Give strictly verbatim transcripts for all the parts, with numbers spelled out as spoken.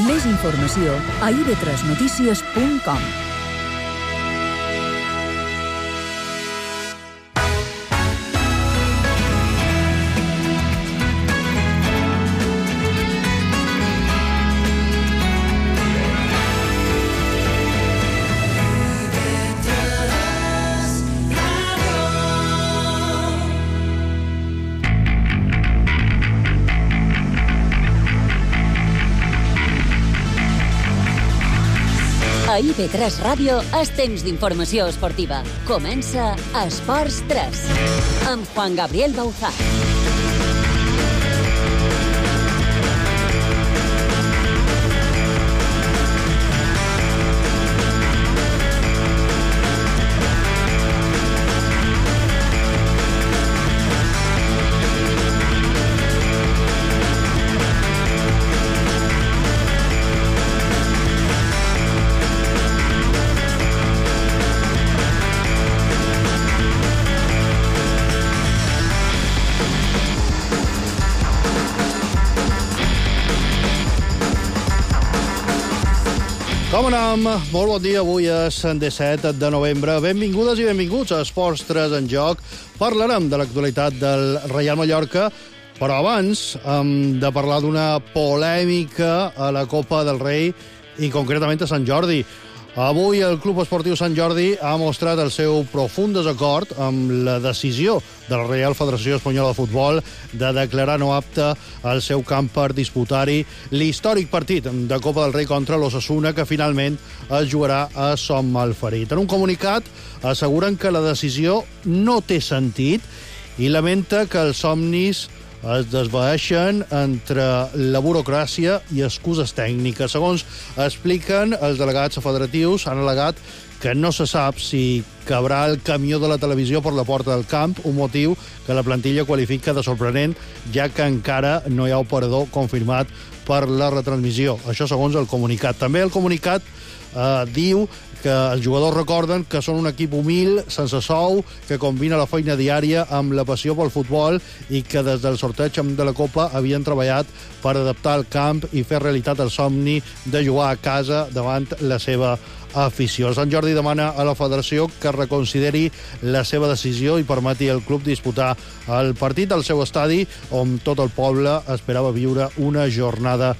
Més informació a i ve tres notícies punt com. A i ve tres Ràdio és temps d'informació esportiva. Comença Esports tres, amb Juan Gabriel Bauzá. Com anem? Molt bon dia. Avui és disset de novembre. Benvingudes i benvinguts a Esports tres en joc. Parlarem de l'actualitat del Reial Mallorca, però abans hem de parlar d'una polèmica a la Copa del Rei i concretament a Sant Jordi. Avui el Club Esportiu Sant Jordi ha mostrat el seu profund desacord amb la decisió de la Reial Federació Espanyola de Futbol de declarar no apte el seu camp per disputar-hi l'històric partit de Copa del Rei contra l'Osasuna, que finalment es jugarà a Son Malferit. En un comunicat asseguren que la decisió no té sentit i lamenta que els somnis es desvaeixen entre la burocràcia i excuses tècniques. Segons expliquen els delegats federatius, han al·legat que no se sap si cabrà el camió de la televisió per la porta del camp, un motiu que la plantilla qualifica de sorprenent, ja que encara no hi ha operador confirmat per la retransmissió. Això segons el comunicat. També el comunicat eh, diu que els jugadors recorden que són un equip humil, sense sou, que combina la feina diària amb la passió pel futbol i que des del sorteig de la Copa havien treballat per adaptar el camp i fer realitat el somni de jugar a casa davant la seva afició. El Sant Jordi demana a la federació que reconsideri la seva decisió i permeti al club disputar el partit al seu estadi, on tot el poble esperava viure una jornada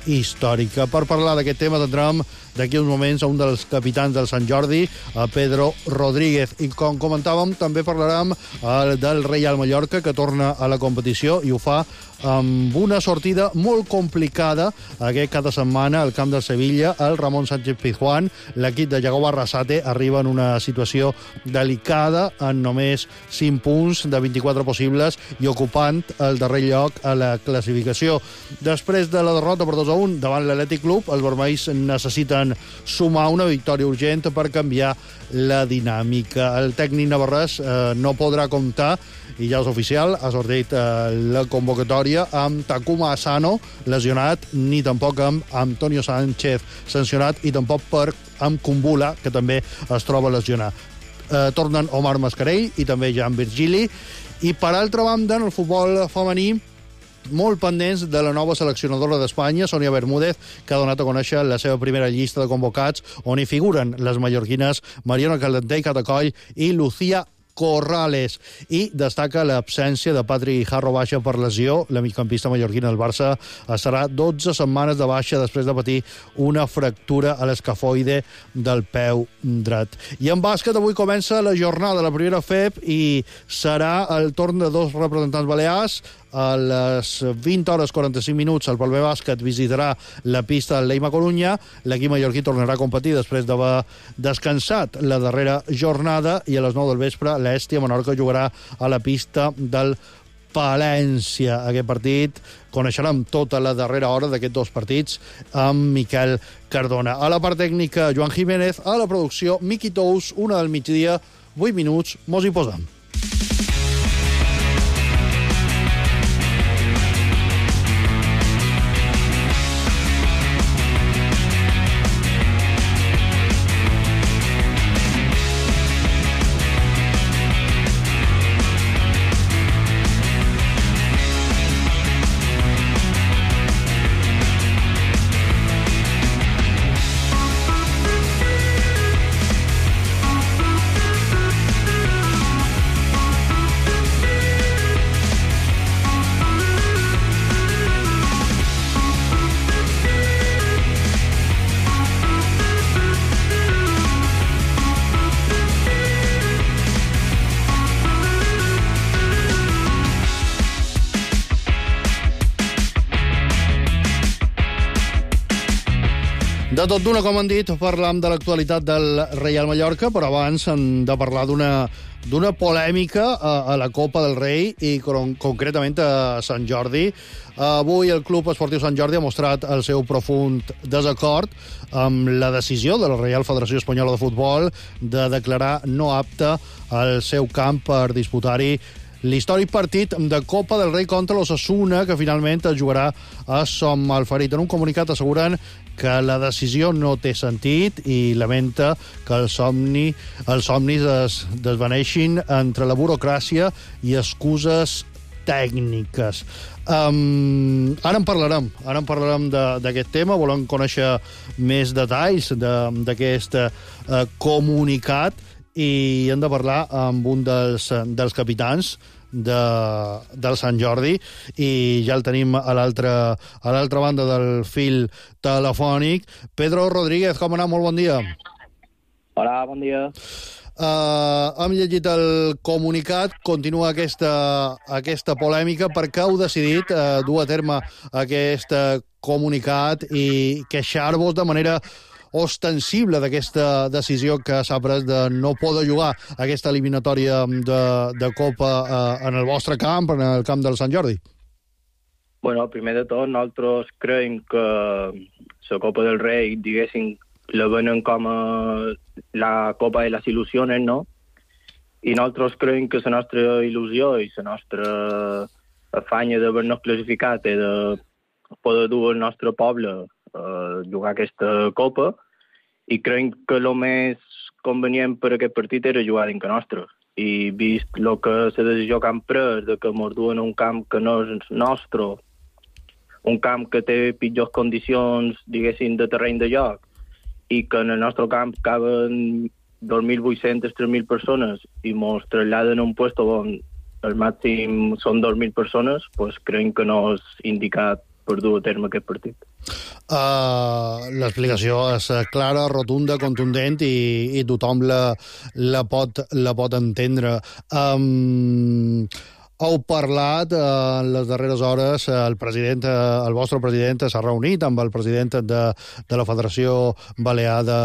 històrica. Per parlar d'aquest tema tindrem d'aquí uns moments a un dels capitans del Sant Jordi, a Pedro Rodríguez. I com comentàvem, també parlarem eh, del Reial Mallorca, que torna a la competició i ho fa amb una sortida molt complicada aquest cada setmana al camp del Sevilla. El Ramon Sánchez Pizjuán, l'equip de Yago Barrasate, arriba en una situació delicada, en només cinc punts de vint-i-quatre possibles i ocupant el darrer lloc a la classificació. Després de la derrota per dos a un davant l'Atlètic Club, els vermells necessiten sumar una victòria urgent per canviar la dinàmica. El tècnic navarrès eh, no podrà comptar, i ja és oficial, ha sortit eh, la convocatòria amb Takuma Asano lesionat, ni tampoc amb Antonio Sánchez sancionat, i tampoc per amb Kumbula, que també es troba lesionat. Eh, tornen Omar Mascarell i també Jan Virgili. I per altra banda, en el futbol femení, molt pendents de la nova seleccionadora d'Espanya, Sònia Bermúdez, que ha donat a conèixer la seva primera llista de convocats, on hi figuren les mallorquines Mariona Caldentey Catacoll i Lucía Corrales, i destaca l'absència de Patri Jarro baixa per lesió. La migcampista mallorquina del Barça estarà dotze setmanes de baixa després de patir una fractura a l'escafoide del peu dret. I en bàsquet avui comença la jornada de la primera F E P i serà el torn de dos representants balears. A les vint hores quaranta-cinc minuts el Palmer Bàsquet visitarà la pista del Leima Corunya. L'equip mallorquí tornarà a competir després d'haver descansat la darrera jornada, i a les nou del vespre l'Hèstia Menorca jugarà a la pista del Palència. Aquest partit coneixerem tota la darrera hora d'aquests dos partits amb Miquel Cardona. A la part tècnica, Joan Jiménez. A la producció, Miqui Tous. Una del migdia, vuit minuts, mos hi posem. De tot d'una, com han dit, parlam de l'actualitat del Reial Mallorca, però abans hem de parlar d'una d'una polèmica a, a la Copa del Rei i con, concretament a Sant Jordi. Avui el Club Esportiu Sant Jordi ha mostrat el seu profund desacord amb la decisió de la Reial Federació Espanyola de Futbol de declarar no apte el seu camp per disputar-hi l'històric partit de Copa del Rei contra l'Osasuna, que finalment es jugarà a Son Malferit. En un comunicat asseguren que la decisió no té sentit i lamenta que el somni, els somnis es desvaneixin entre la burocràcia i excuses tècniques. Um, ara en parlarem, ara en parlarem d'aquest tema, volem conèixer més detalls d'aquest uh, comunicat i hem de parlar amb un dels, dels capitans de, del Sant Jordi i ja el tenim a l'altra a l'altra banda del fil telefònic. Pedro Rodríguez, com anem? Molt bon dia. Hola, bon dia. Uh, hem llegit el comunicat, continua aquesta, aquesta polèmica. Per què heu decidit uh, dur a terme aquest comunicat i queixar-vos de manera ostensible d'aquesta decisió que s'ha pres de no poder jugar aquesta eliminatòria de, de Copa eh, en el vostre camp, en el camp del Sant Jordi? Bueno, primer de tot, nosaltres creiem que la Copa del Rei, diguéssim, la venen com a la Copa de les il·lusiones, no? I nosaltres creiem que la nostra il·lusió i la nostra afanya d'haver-nos classificat i de poder dur al nostre poble a jugar aquesta Copa, i crec que el més convenient per aquest partit era jugar dintre nostre. I vist el que la decisió que han pres de que ens duen a un camp que no és nostre, un camp que té pitjors condicions, diguéssim, de terreny de joc, i que en el nostre camp caben dos mil vuit-centes, tres mil persones i ens traslladen a un puesto on el màxim són dos mil persones, pues crec que no és indicat per dur a terme aquest partit. Uh, l'explicació és clara, rotunda, contundent i, i tothom la, la, pot, la pot entendre. Um, heu parlat uh, en les darreres hores, uh, el president, uh, el vostre president s'ha reunit amb el president de, de la Federació Balear de,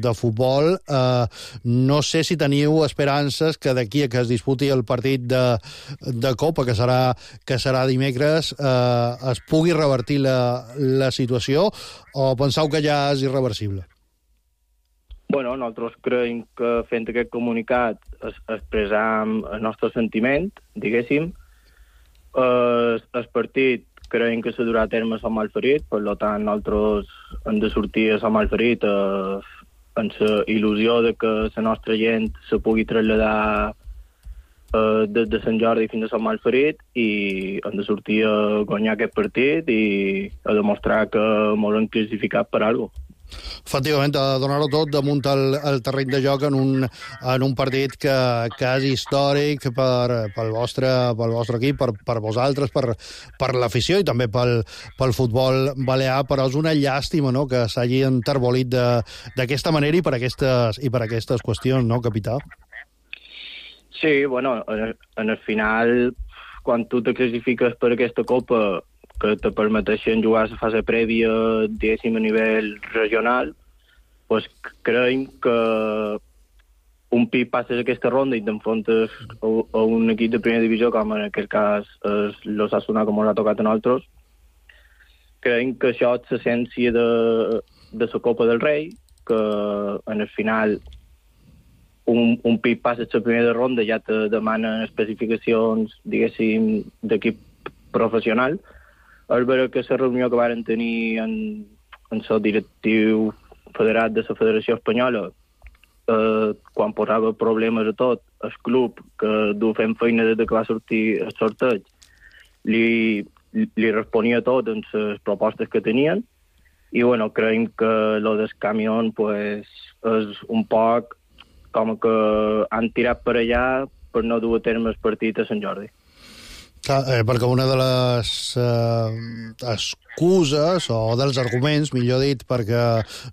de Futbol. Uh, no sé si teniu esperances que d'aquí a que es disputi el partit de, de Copa, que serà, que serà dimecres, uh, es pugui revertir la, la situació, o penseu que ja és irreversible? Bueno, nosaltres creiem que fent aquest comunicat es, expressam el nostre sentiment, diguéssim. El, el partit creiem que s'ha durat a terme a Sant Malferit, per tant nosaltres hem de sortir a Sant Malferit eh, amb la il·lusió de que la nostra gent se pugui traslladar eh, des de Sant Jordi fins a Sant Malferit, i hem de sortir a guanyar aquest partit i a demostrar que ens hem classificat per alguna cosa. Efectivament, a donar-ho tot damunt el, el terreny de joc en un, en un partit que, que és històric per, pel, vostre, pel vostre equip, per, per vosaltres, per, per l'afició i també pel, pel futbol balear, però és una llàstima, no?, que s'hagi enterbolit d'aquesta manera i per aquestes, i per aquestes qüestions, no, capità? Sí, bueno, en el, en el final, quan tu te classifiques per aquesta Copa que te permeteixen jugar a la fase prèvia, diguéssim, a nivell regional, pues creiem que un pip passes aquesta ronda i t'enfrontes a, a un equip de primera divisió, com en aquest cas és l'Osasuna, com ens ha tocat a nosaltres. Creiem que això és l'essència de, de la Copa del Rei, que en el final un, un pip passes la primera ronda ja te demanen especificacions, diguéssim, d'equip professional. És vera que la reunió que varen tenir en, en el directiu federat de la Federació Espanyola, eh, quan posava problemes a tot, el club, que du fent feina des que va sortir el sorteig, li, li responia tot en les propostes que tenien, i bueno, creiem que lo del camió pues, és un poc com que han tirat per allà per no dur a terme el partit a Sant Jordi. Clar, eh, perquè una de les eh, excuses, o dels arguments, millor dit, perquè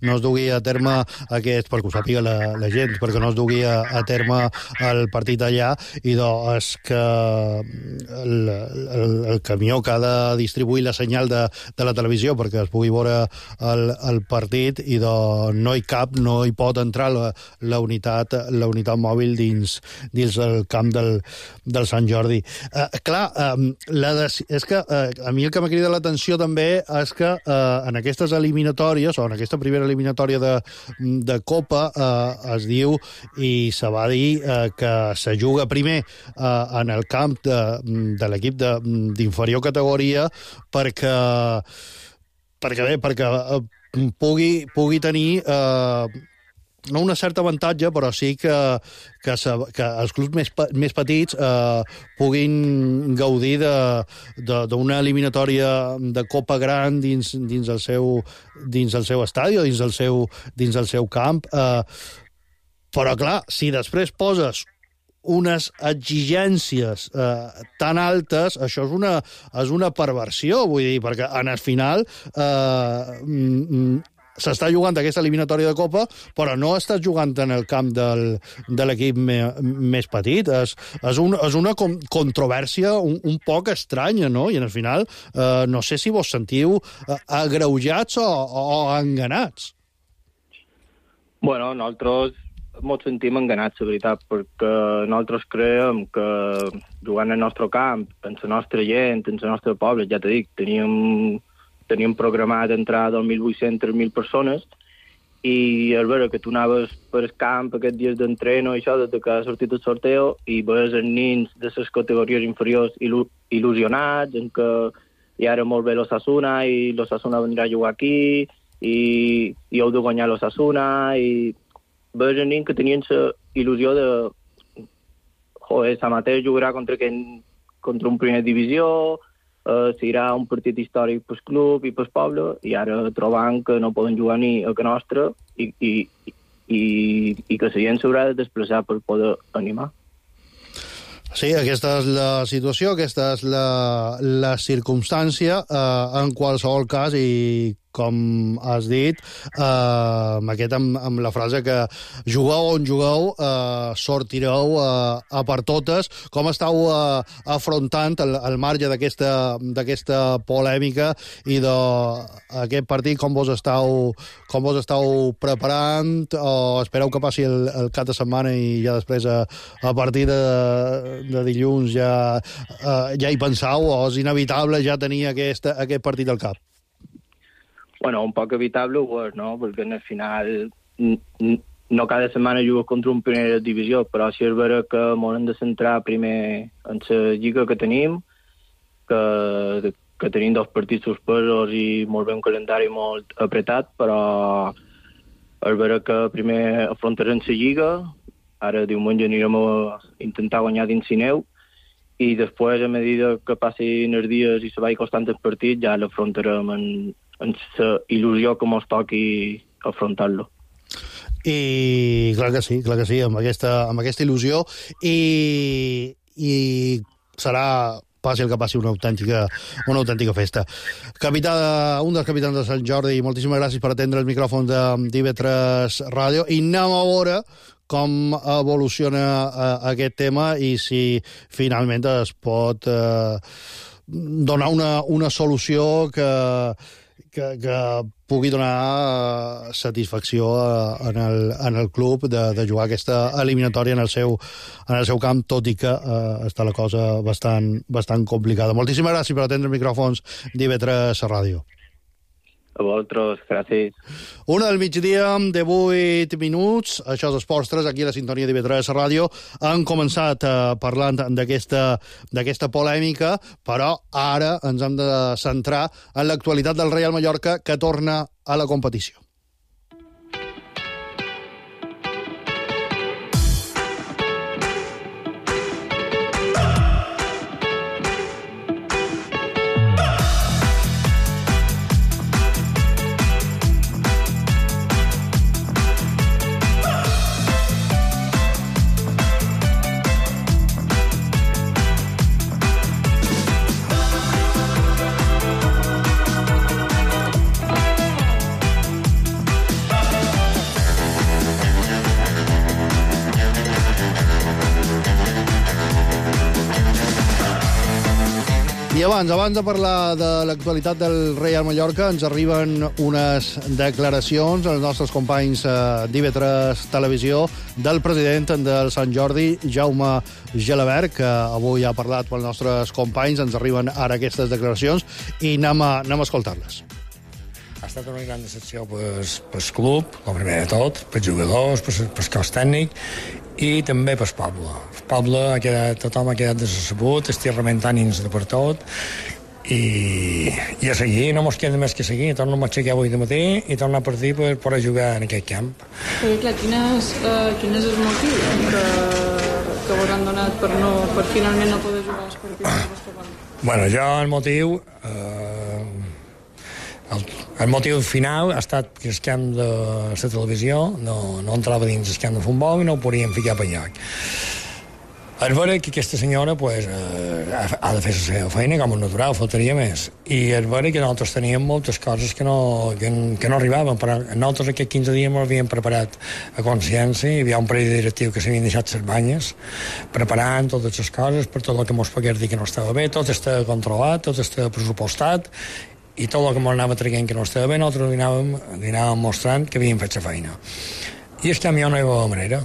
no es dugui a terme aquest, perquè ho sàpiga la, la gent, perquè no es dugui a, a terme el partit allà, i doncs és que el, el, el camió que ha de distribuir la senyal de, de la televisió perquè es pugui veure el, el partit, i doncs no hi cap, no hi pot entrar la, la, unitat, la unitat mòbil dins, dins el camp del, del Sant Jordi. Eh, clar, Um, la de, és que uh, a mi el que m'ha cridat l'atenció també és que uh, en aquestes eliminatòries, o en aquesta primera eliminatòria de, de Copa, uh, es diu, i se va dir, uh, que se juga primer uh, en el camp de, de l'equip d'inferior categoria perquè, perquè bé, perquè uh, pugui, pugui tenir... Uh, no una certa avantatge, però sí que, que, se, que els clubs més, més petits eh, puguin gaudir d'una eliminatòria de Copa gran dins, dins, el seu, dins el seu estadi o dins el seu, dins el seu camp. Eh, però, clar, si després poses unes exigències eh, tan altes, això és una, és una perversió, vull dir, perquè en el final... Eh, mm, s'està jugant aquesta eliminatòria de Copa, però no estàs jugant en el camp del, de l'equip me, més petit. És, és, un, és una com, controvèrsia un, un poc estranya, no? I en el final eh, no sé si vos sentiu eh, agreujats o, o enganats. Bueno, nosaltres ens sentim enganats, la veritat, perquè nosaltres creiem que jugant al nostre camp, en la nostra gent, en el nostre poble, ja t'he dit, teníem... teníem programat entrar dos mil vuit-cents a tres mil persones, i al veure que tu anaves per el camp aquests dies d'entreno i això, des que ha sortit el sorteo, i veus els nins de les categories inferiors il·lu il·lusionats, en que ja era molt bé l'Osasuna, i l'Osasuna vendrà a jugar aquí, i, i heu de guanyar l'Osasuna, i veus els nins que tenien la il·lusió de joder, sa mateix jugarà contra, aquell, contra un primer divisió, Uh, serà un partit històric pel club i pel poble, i ara trobant que no poden jugar ni a que nostre, i, i, i, i que la gent s'haurà de desplaçar per poder animar. Sí, aquesta és la situació, aquesta és la, la circumstància. Eh, en qualsevol cas, i com has dit, eh, amb, aquest, amb, amb la frase que jugueu on jugueu, eh, sortireu eh, a per totes. Com estàu eh, afrontant el, el marge d'aquesta polèmica i d'aquest partit? Com vos estàu, com vos estàu preparant? O espereu que passi el, el cap de setmana i ja després, a, a partir de, de dilluns, ja, eh, ja hi pensau, o és inevitable ja tenir aquest, aquest partit al cap? Bueno, un poc evitable ho és, no? Perquè al final no cada setmana jugues contra un primera divisió, però si és vera que m'hem de centrar primer en la lliga que tenim, que, que tenim dos partits suspesos i molt bé un calendari molt apretat, però és vera que primer afrontarem la lliga, ara diumenge anirem a intentar guanyar dins Sineu, i després, a mesura que passin els dies i se vagi costant el partit, ja l'afrontarem en en la il·lusió que mos toqui afrontar-lo. I clar que sí, clar que sí, amb aquesta, amb aquesta il·lusió, i, i serà, passi el que passi, una autèntica, una autèntica festa. Capità, un dels capitans de Sant Jordi, moltíssimes gràcies per atendre els micròfons d'I V tres Ràdio, i anem a veure com evoluciona uh, aquest tema i si finalment es pot uh, donar una, una solució que Que, que pugui donar satisfacció en el, en el club de, de jugar aquesta eliminatòria en el seu, en el seu camp, tot i que eh, està la cosa bastant, bastant complicada. Moltíssimes gràcies per atendre els micròfons d'I V tres Ràdio. A vosaltres, gràcies. Una del migdia de vuit minuts, això és Esports tres, aquí a la sintonia d'I V tres Ràdio. Han començat eh, parlant d'aquesta polèmica, però ara ens hem de centrar en l'actualitat del Reial Mallorca, que torna a la competició. I abans, abans de parlar de l'actualitat del Reial Mallorca, ens arriben unes declaracions als nostres companys d'I V tres Televisió del president del Sant Jordi, Jaume Gelabert, que avui ha parlat pels nostres companys. Ens arriben ara aquestes declaracions i anem a, anem a escoltar-les. Ha estat una gran decepció pel club, el primer de tot, pels jugadors, pel cos tècnic i també pel poble. El poble, ha quedat, tothom ha quedat decebut, estic rementant ins de per tot i, i a seguir, no mos queda més que seguir. Torno a aixecar avui de matí i torno a partir per poder jugar en aquest camp. Perquè, clar, quin és, uh, quin és el motiu que, que vos han donat per, no, per finalment no poder jugar els partits del vostre camp? Bueno, jo el motiu... Eh, El, el motiu final ha estat que el camp de la televisió no, no entrava dins el camp de futbol i no ho podíem ficar per lloc. És vera que aquesta senyora pues, eh, ha de fer la seva feina com a natural, faltaria més. I és vera que nosaltres teníem moltes coses que no, que, que no arribaven, però nosaltres aquests quinze dies ens havíem preparat a consciència, hi havia un parell de directiu que s'havien deixat les banyes, preparant totes les coses per tot el que ens pogués dir que no estava bé, tot estava controlat, tot estava pressupostat, i tot el que ens anava traient que no estava bé, nosaltres li anàvem, li anàvem mostrant que havíem fet la feina. I el camió no hi havia manera.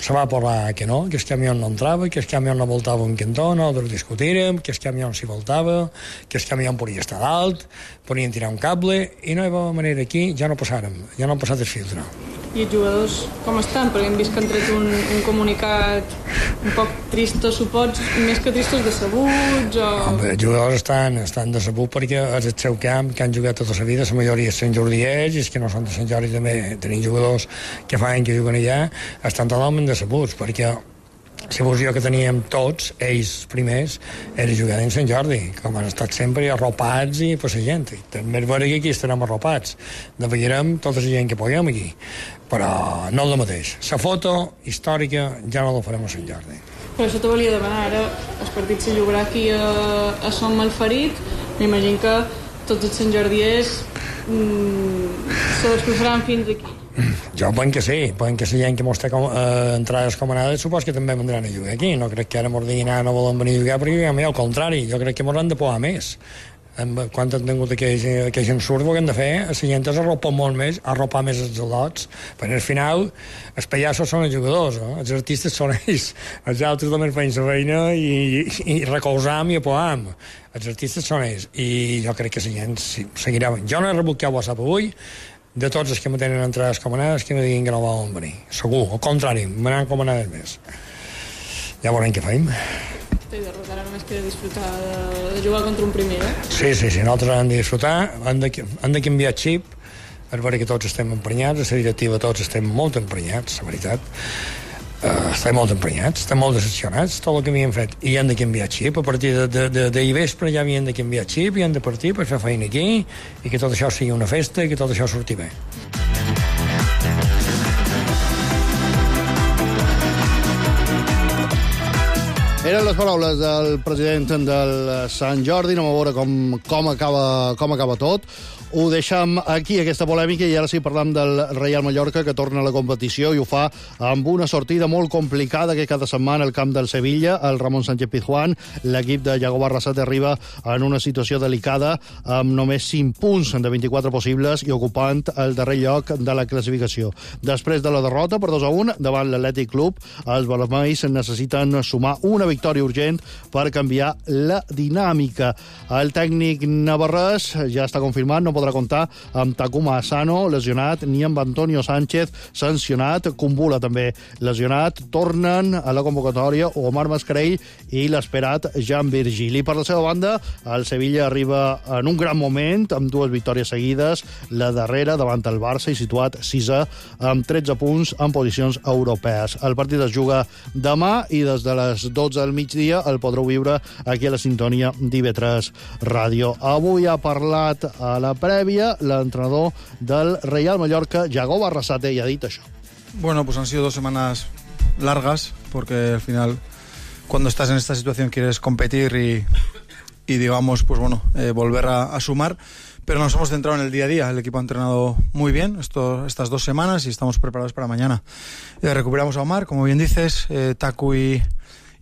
Se va parlar que no, que el camió no entrava, que el camió no voltava un cantó, nosaltres discutirem, que el camió s'hi voltava, que el camió podia estar dalt, podien tirar un cable, i no hi havia manera aquí, ja no passàrem, ja no ha passat el filtre. I els jugadors com estan? Perquè hem vist que han tret un, un comunicat un poc tristos, supots, més que tristos, decebuts o... Home, els jugadors estan, estan decebuts perquè és el seu camp, que han jugat tota la vida, la majoria és Sant Jordiers, i els que no són de Sant Jordi també tenim jugadors que fa anys que juguen allà, estan totalment decebuts, perquè la il·lusió que teníem tots, ells primers, era jugar en Sant Jordi, com han estat sempre arropats i per la gent. I també és vera que aquí estarem arropats. Devetllarem tota la gent que puguem aquí, però no el mateix. La foto històrica ja no la farem a Sant Jordi. Per això te volia demanar, ara el partit se jugarà aquí a, a Som Malferit. M'imagino que tots els Sant Jordiers mmm, se desplaçaran fins aquí. Jo penso que sí, penso que la gent que mos té com, eh, entrades comanades supos que també vendran a jugar aquí. No crec que ara mos diguin ah, no volen venir a jugar perquè al contrari, jo crec que mos han de poar més. Quan han tingut aquells, aquells ensurts que han de fer, la gent és arropar molt més, arropar més els lots, perquè al final els pallassos són els jugadors, no? Els artistes són ells, els altres també feien la feina i, i, i recolzam i apoam. Els artistes són ells, i jo crec que la gent seguirà. Jo no he rebut cap WhatsApp avui de tots els que me tenen entrades comanades que me diguin que no volen venir. Segur, al contrari, me n'han comanades més. Ja veurem què fem. I de ara només queda disfrutar de, de jugar contra un primer, eh? Sí, sí, sí, nosaltres hem de disfrutar, hem de, hem de canviar xip, és vera que tots estem emprenyats, a la directiva tots estem molt emprenyats, la veritat. Uh, estem molt emprenyats, estem molt decepcionats tot el que havíem fet, i hem de canviar xip a partir de, de, de, de vespre ja havien de canviar xip i hem de partir per fer feina aquí i que tot això sigui una festa i que tot això surti bé. Eren les paraules del president del Sant Jordi. Anem a veure com, com, acaba, com acaba tot. Ho deixem aquí, aquesta polèmica, i ara sí parlam del Reial Mallorca, que torna a la competició i ho fa amb una sortida molt complicada que cada setmana al camp del Sevilla, el Ramon Sánchez-Pizjuán, l'equip de Yago Barrasate arriba en una situació delicada amb només cinc punts de vint-i-quatre possibles i ocupant el darrer lloc de la classificació. Després de la derrota per dos a un davant l'Atlètic Club, els vermells necessiten sumar una victòria urgent per canviar la dinàmica. El tècnic navarrès ja està confirmat, no podrà comptar amb Takuma Asano, lesionat, ni amb Antonio Sánchez, sancionat, Kumbula també lesionat. Tornen a la convocatòria Omar Mascarell i l'esperat Jan Virgili. Per la seva banda, el Sevilla arriba en un gran moment, amb dues victòries seguides, la darrera davant el Barça i situat sisè amb tretze punts en posicions europees. El partit es juga demà i des de les dotze del migdia el podreu viure aquí a la sintonia d'I V tres Ràdio. Avui ha parlat a la prèvia l'entrenador del Real Mallorca, Yago Barrasate, y ha dicho eso. Bueno, pues han sido dos semanas largas, porque al final, cuando estás en esta situación, quieres competir y, y digamos, pues bueno, eh, volver a, a sumar, pero nos hemos centrado en el día a día. El equipo ha entrenado muy bien esto, estas dos semanas y estamos preparados para mañana. Eh, recuperamos a Omar, como bien dices, eh, Taku y,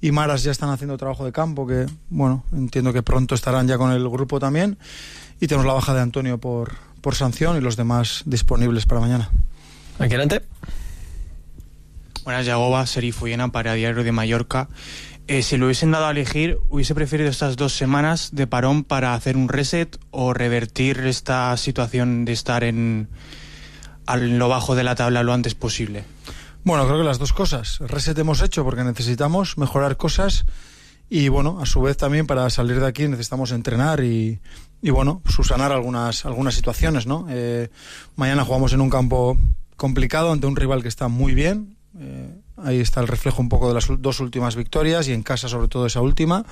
y Maras ya están haciendo trabajo de campo, que bueno, entiendo que pronto estarán ya con el grupo también, y tenemos la baja de Antonio por, por sanción y los demás disponibles para mañana. Aquí adelante. Buenas, Yagoba, Serif Uyena para Diario de Mallorca. Eh, si lo hubiesen dado a elegir, ¿hubiese preferido estas dos semanas de parón para hacer un reset o revertir esta situación de estar en, en lo bajo de la tabla lo antes posible? Bueno, creo que las dos cosas. Reset hemos hecho porque necesitamos mejorar cosas y, bueno, a su vez también para salir de aquí necesitamos entrenar y, y bueno, subsanar algunas, algunas situaciones, ¿no? Eh, mañana jugamos en un campo complicado ante un rival que está muy bien. Eh, ahí está el reflejo un poco de las dos últimas victorias y en casa sobre todo esa última.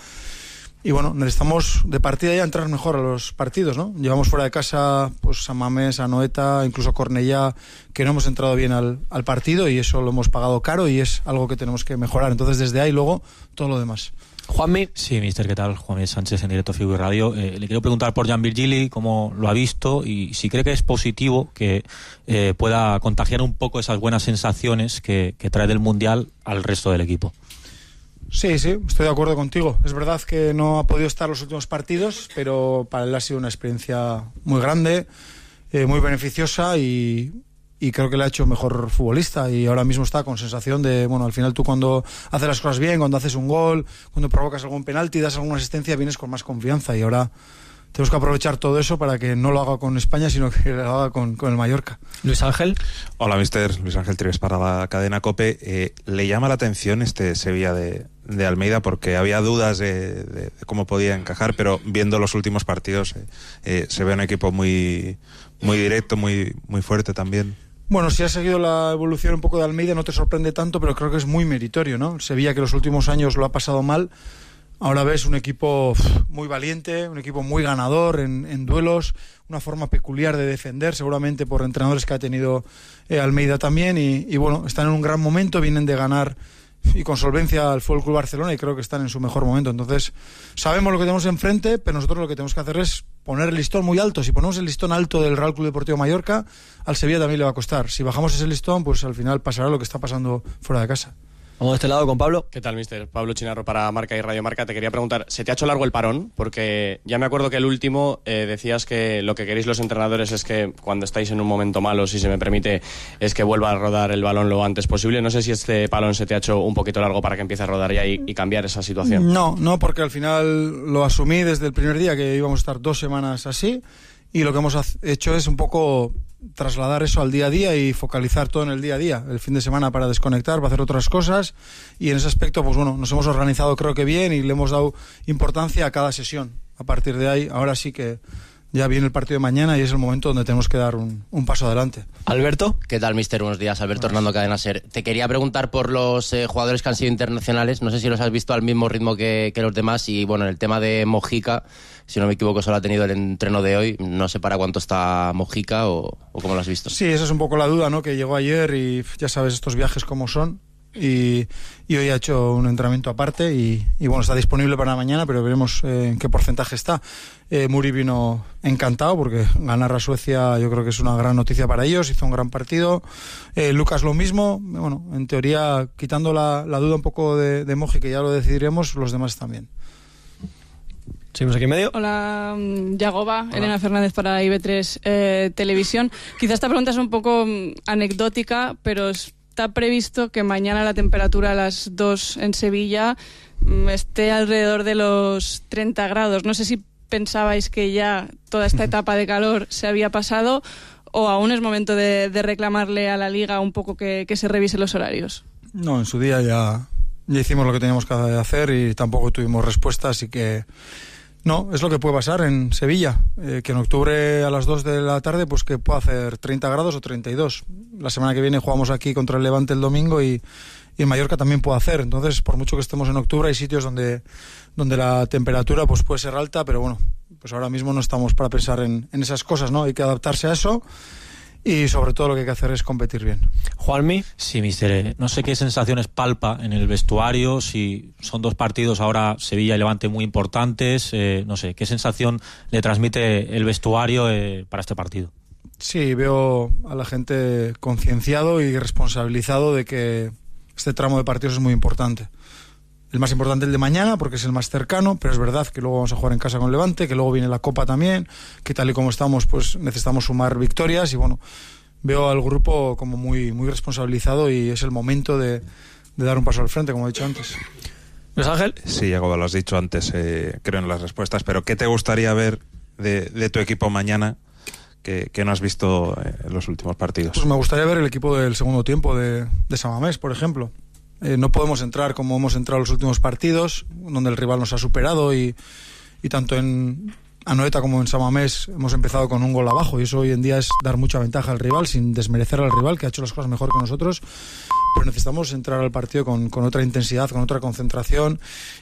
Y bueno, necesitamos de partida ya entrar mejor a los partidos, ¿no? Llevamos fuera de casa pues San Mamés, Anoeta, incluso Cornellá, que no hemos entrado bien al, al partido y eso lo hemos pagado caro y es algo que tenemos que mejorar. Entonces desde ahí luego todo lo demás. Juanmi. Sí, mister, ¿qué tal? Juanmi Sánchez en directo Figu y Radio. Eh, le quiero preguntar por Jan Virgili, cómo lo ha visto y si cree que es positivo que eh, pueda contagiar un poco esas buenas sensaciones que, que trae del Mundial al resto del equipo. Sí, sí, estoy de acuerdo contigo. Es verdad que no ha podido estar los últimos partidos, pero para él ha sido una experiencia muy grande, eh, muy beneficiosa y, y creo que le ha hecho mejor futbolista y ahora mismo está con sensación de, bueno, al final tú cuando haces las cosas bien, cuando haces un gol, cuando provocas algún penalti, das alguna asistencia, vienes con más confianza y ahora tenemos que aprovechar todo eso para que no lo haga con España, sino que lo haga con, con el Mallorca. Luis Ángel. Hola, mister. Luis Ángel Trives para la cadena COPE. Eh, ¿Le llama la atención este Sevilla de, de Almeida? Porque había dudas de, de, de cómo podía encajar, pero viendo los últimos partidos eh, eh, se ve un equipo muy, muy directo, muy, muy fuerte también. Bueno, si has seguido la evolución un poco de Almeida no te sorprende tanto, pero creo que es muy meritorio, ¿no? Sevilla, que los últimos años lo ha pasado mal, ahora ves un equipo muy valiente, un equipo muy ganador en, en duelos, una forma peculiar de defender, seguramente por entrenadores que ha tenido eh, Almeida también, y, y bueno, están en un gran momento, vienen de ganar y con solvencia al F C Barcelona y creo que están en su mejor momento. Entonces, sabemos lo que tenemos enfrente, pero nosotros lo que tenemos que hacer es poner el listón muy alto. Si ponemos el listón alto del Real Club Deportivo Mallorca, al Sevilla también le va a costar. Si bajamos ese listón, pues al final pasará lo que está pasando fuera de casa. Vamos de este lado con Pablo. ¿Qué tal, mister? Pablo Chinarro para Marca y Radio Marca. Te quería preguntar, ¿se te ha hecho largo el parón? Porque ya me acuerdo que el último eh, decías que lo que queréis los entrenadores es que cuando estáis en un momento malo, si se me permite, es que vuelva a rodar el balón lo antes posible. No sé si este parón se te ha hecho un poquito largo para que empiece a rodar ya y, y cambiar esa situación. No, no, porque al final lo asumí desde el primer día que íbamos a estar dos semanas así y lo que hemos hecho es un poco trasladar eso al día a día y focalizar todo en el día a día, el fin de semana para desconectar, para hacer otras cosas y en ese aspecto pues bueno, nos hemos organizado creo que bien y le hemos dado importancia a cada sesión. A partir de ahí, ahora sí que ya viene el partido de mañana y es el momento donde tenemos que dar un, un paso adelante. Alberto. ¿Qué tal, mister? Buenos días, Alberto Hernando, Cadena SER. Te quería preguntar por los eh, jugadores que han sido internacionales, no sé si los has visto al mismo ritmo que, que los demás y bueno, en el tema de Mojica, si no me equivoco solo ha tenido el entreno de hoy, no sé para cuánto está Mojica o, o cómo lo has visto. Sí, esa es un poco la duda, ¿no? Que llegó ayer y ya sabes estos viajes cómo son. Y, y hoy ha hecho un entrenamiento aparte y, y bueno, está disponible para mañana, pero veremos eh, en qué porcentaje está. eh, Muri vino encantado porque ganar a Suecia yo creo que es una gran noticia para ellos, hizo un gran partido. eh, Lucas lo mismo, bueno, en teoría quitando la, la duda un poco de, de Moji, que ya lo decidiremos, los demás también. Seguimos aquí en medio. Hola, Yagoba, Hola. Elena Fernández para I B tres eh, Televisión. Quizás esta pregunta es un poco um, anecdótica, pero está previsto que mañana la temperatura a las dos en Sevilla um, esté alrededor de los treinta grados. No sé si pensabais que ya toda esta etapa de calor se había pasado o aún es momento de, de reclamarle a la Liga un poco que, que se revise los horarios. No, en su día ya, ya hicimos lo que teníamos que hacer y tampoco tuvimos respuesta, así que no, es lo que puede pasar en Sevilla, eh, que en octubre a las dos de la tarde pues que pueda hacer treinta grados o treinta y dos. La semana que viene jugamos aquí contra el Levante el domingo y, y en Mallorca también puede hacer. Entonces, por mucho que estemos en octubre, hay sitios donde, donde la temperatura pues puede ser alta, pero bueno, pues ahora mismo no estamos para pensar en, en esas cosas, ¿no? Hay que adaptarse a eso. Y sobre todo lo que hay que hacer es competir bien. Juanmi. Sí, mister. No sé qué sensaciones palpa en el vestuario, si son dos partidos ahora Sevilla y Levante muy importantes, eh, no sé, ¿qué sensación le transmite el vestuario eh, para este partido? Sí, veo a la gente concienciado y responsabilizado de que este tramo de partidos es muy importante. el más importante el de mañana, porque es el más cercano, pero es verdad que luego vamos a jugar en casa con Levante, que luego viene la Copa también, que tal y como estamos, pues necesitamos sumar victorias y bueno, veo al grupo como muy, muy responsabilizado y es el momento de, de dar un paso al frente, como he dicho antes. ¿Luis Ángel? Sí, Yagoba, lo has dicho antes, eh, creo en las respuestas, pero ¿qué te gustaría ver de, de tu equipo mañana que, que no has visto en los últimos partidos? Pues me gustaría ver el equipo del segundo tiempo de, de San Mamés, por ejemplo. Eh, no podemos entrar como hemos entrado en los últimos partidos, donde el rival nos ha superado y, y tanto en Anoeta como en San Mamés hemos empezado con un gol abajo y eso hoy en día es dar mucha ventaja al rival sin desmerecer al rival que ha hecho las cosas mejor que nosotros, pero necesitamos entrar al partido con, con otra intensidad, con otra concentración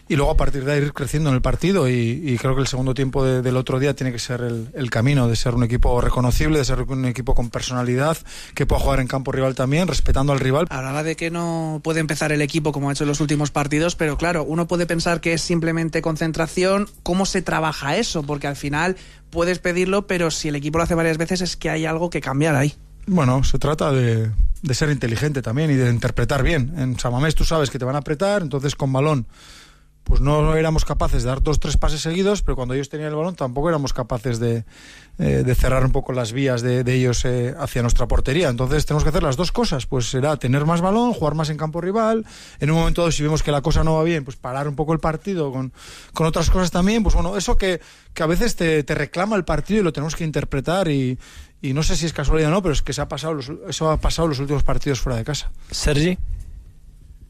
y luego a partir de ahí ir creciendo en el partido y, y creo que el segundo tiempo de, del otro día tiene que ser el, el camino de ser un equipo reconocible, de ser un equipo con personalidad, que pueda jugar en campo rival también, respetando al rival. Hablaba de que no puede empezar el equipo como ha hecho en los últimos partidos, pero claro, uno puede pensar que es simplemente concentración. ¿Cómo se trabaja eso? Porque al final puedes pedirlo, pero si el equipo lo hace varias veces es que hay algo que cambiar ahí. Bueno, se trata de, de ser inteligente también y de interpretar bien. En San Mamés tú sabes que te van a apretar, entonces con balón pues no éramos capaces de dar dos, tres pases seguidos, pero cuando ellos tenían el balón tampoco éramos capaces de, eh, de cerrar un poco las vías de, de ellos eh, hacia nuestra portería. Entonces tenemos que hacer las dos cosas, pues será tener más balón, jugar más en campo rival, en un momento dado si vemos que la cosa no va bien, pues parar un poco el partido con, con otras cosas también, pues bueno, eso que, que a veces te, te reclama el partido y lo tenemos que interpretar y, y no sé si es casualidad o no, pero es que se ha pasado los, eso ha pasado en los últimos partidos fuera de casa. Sergi.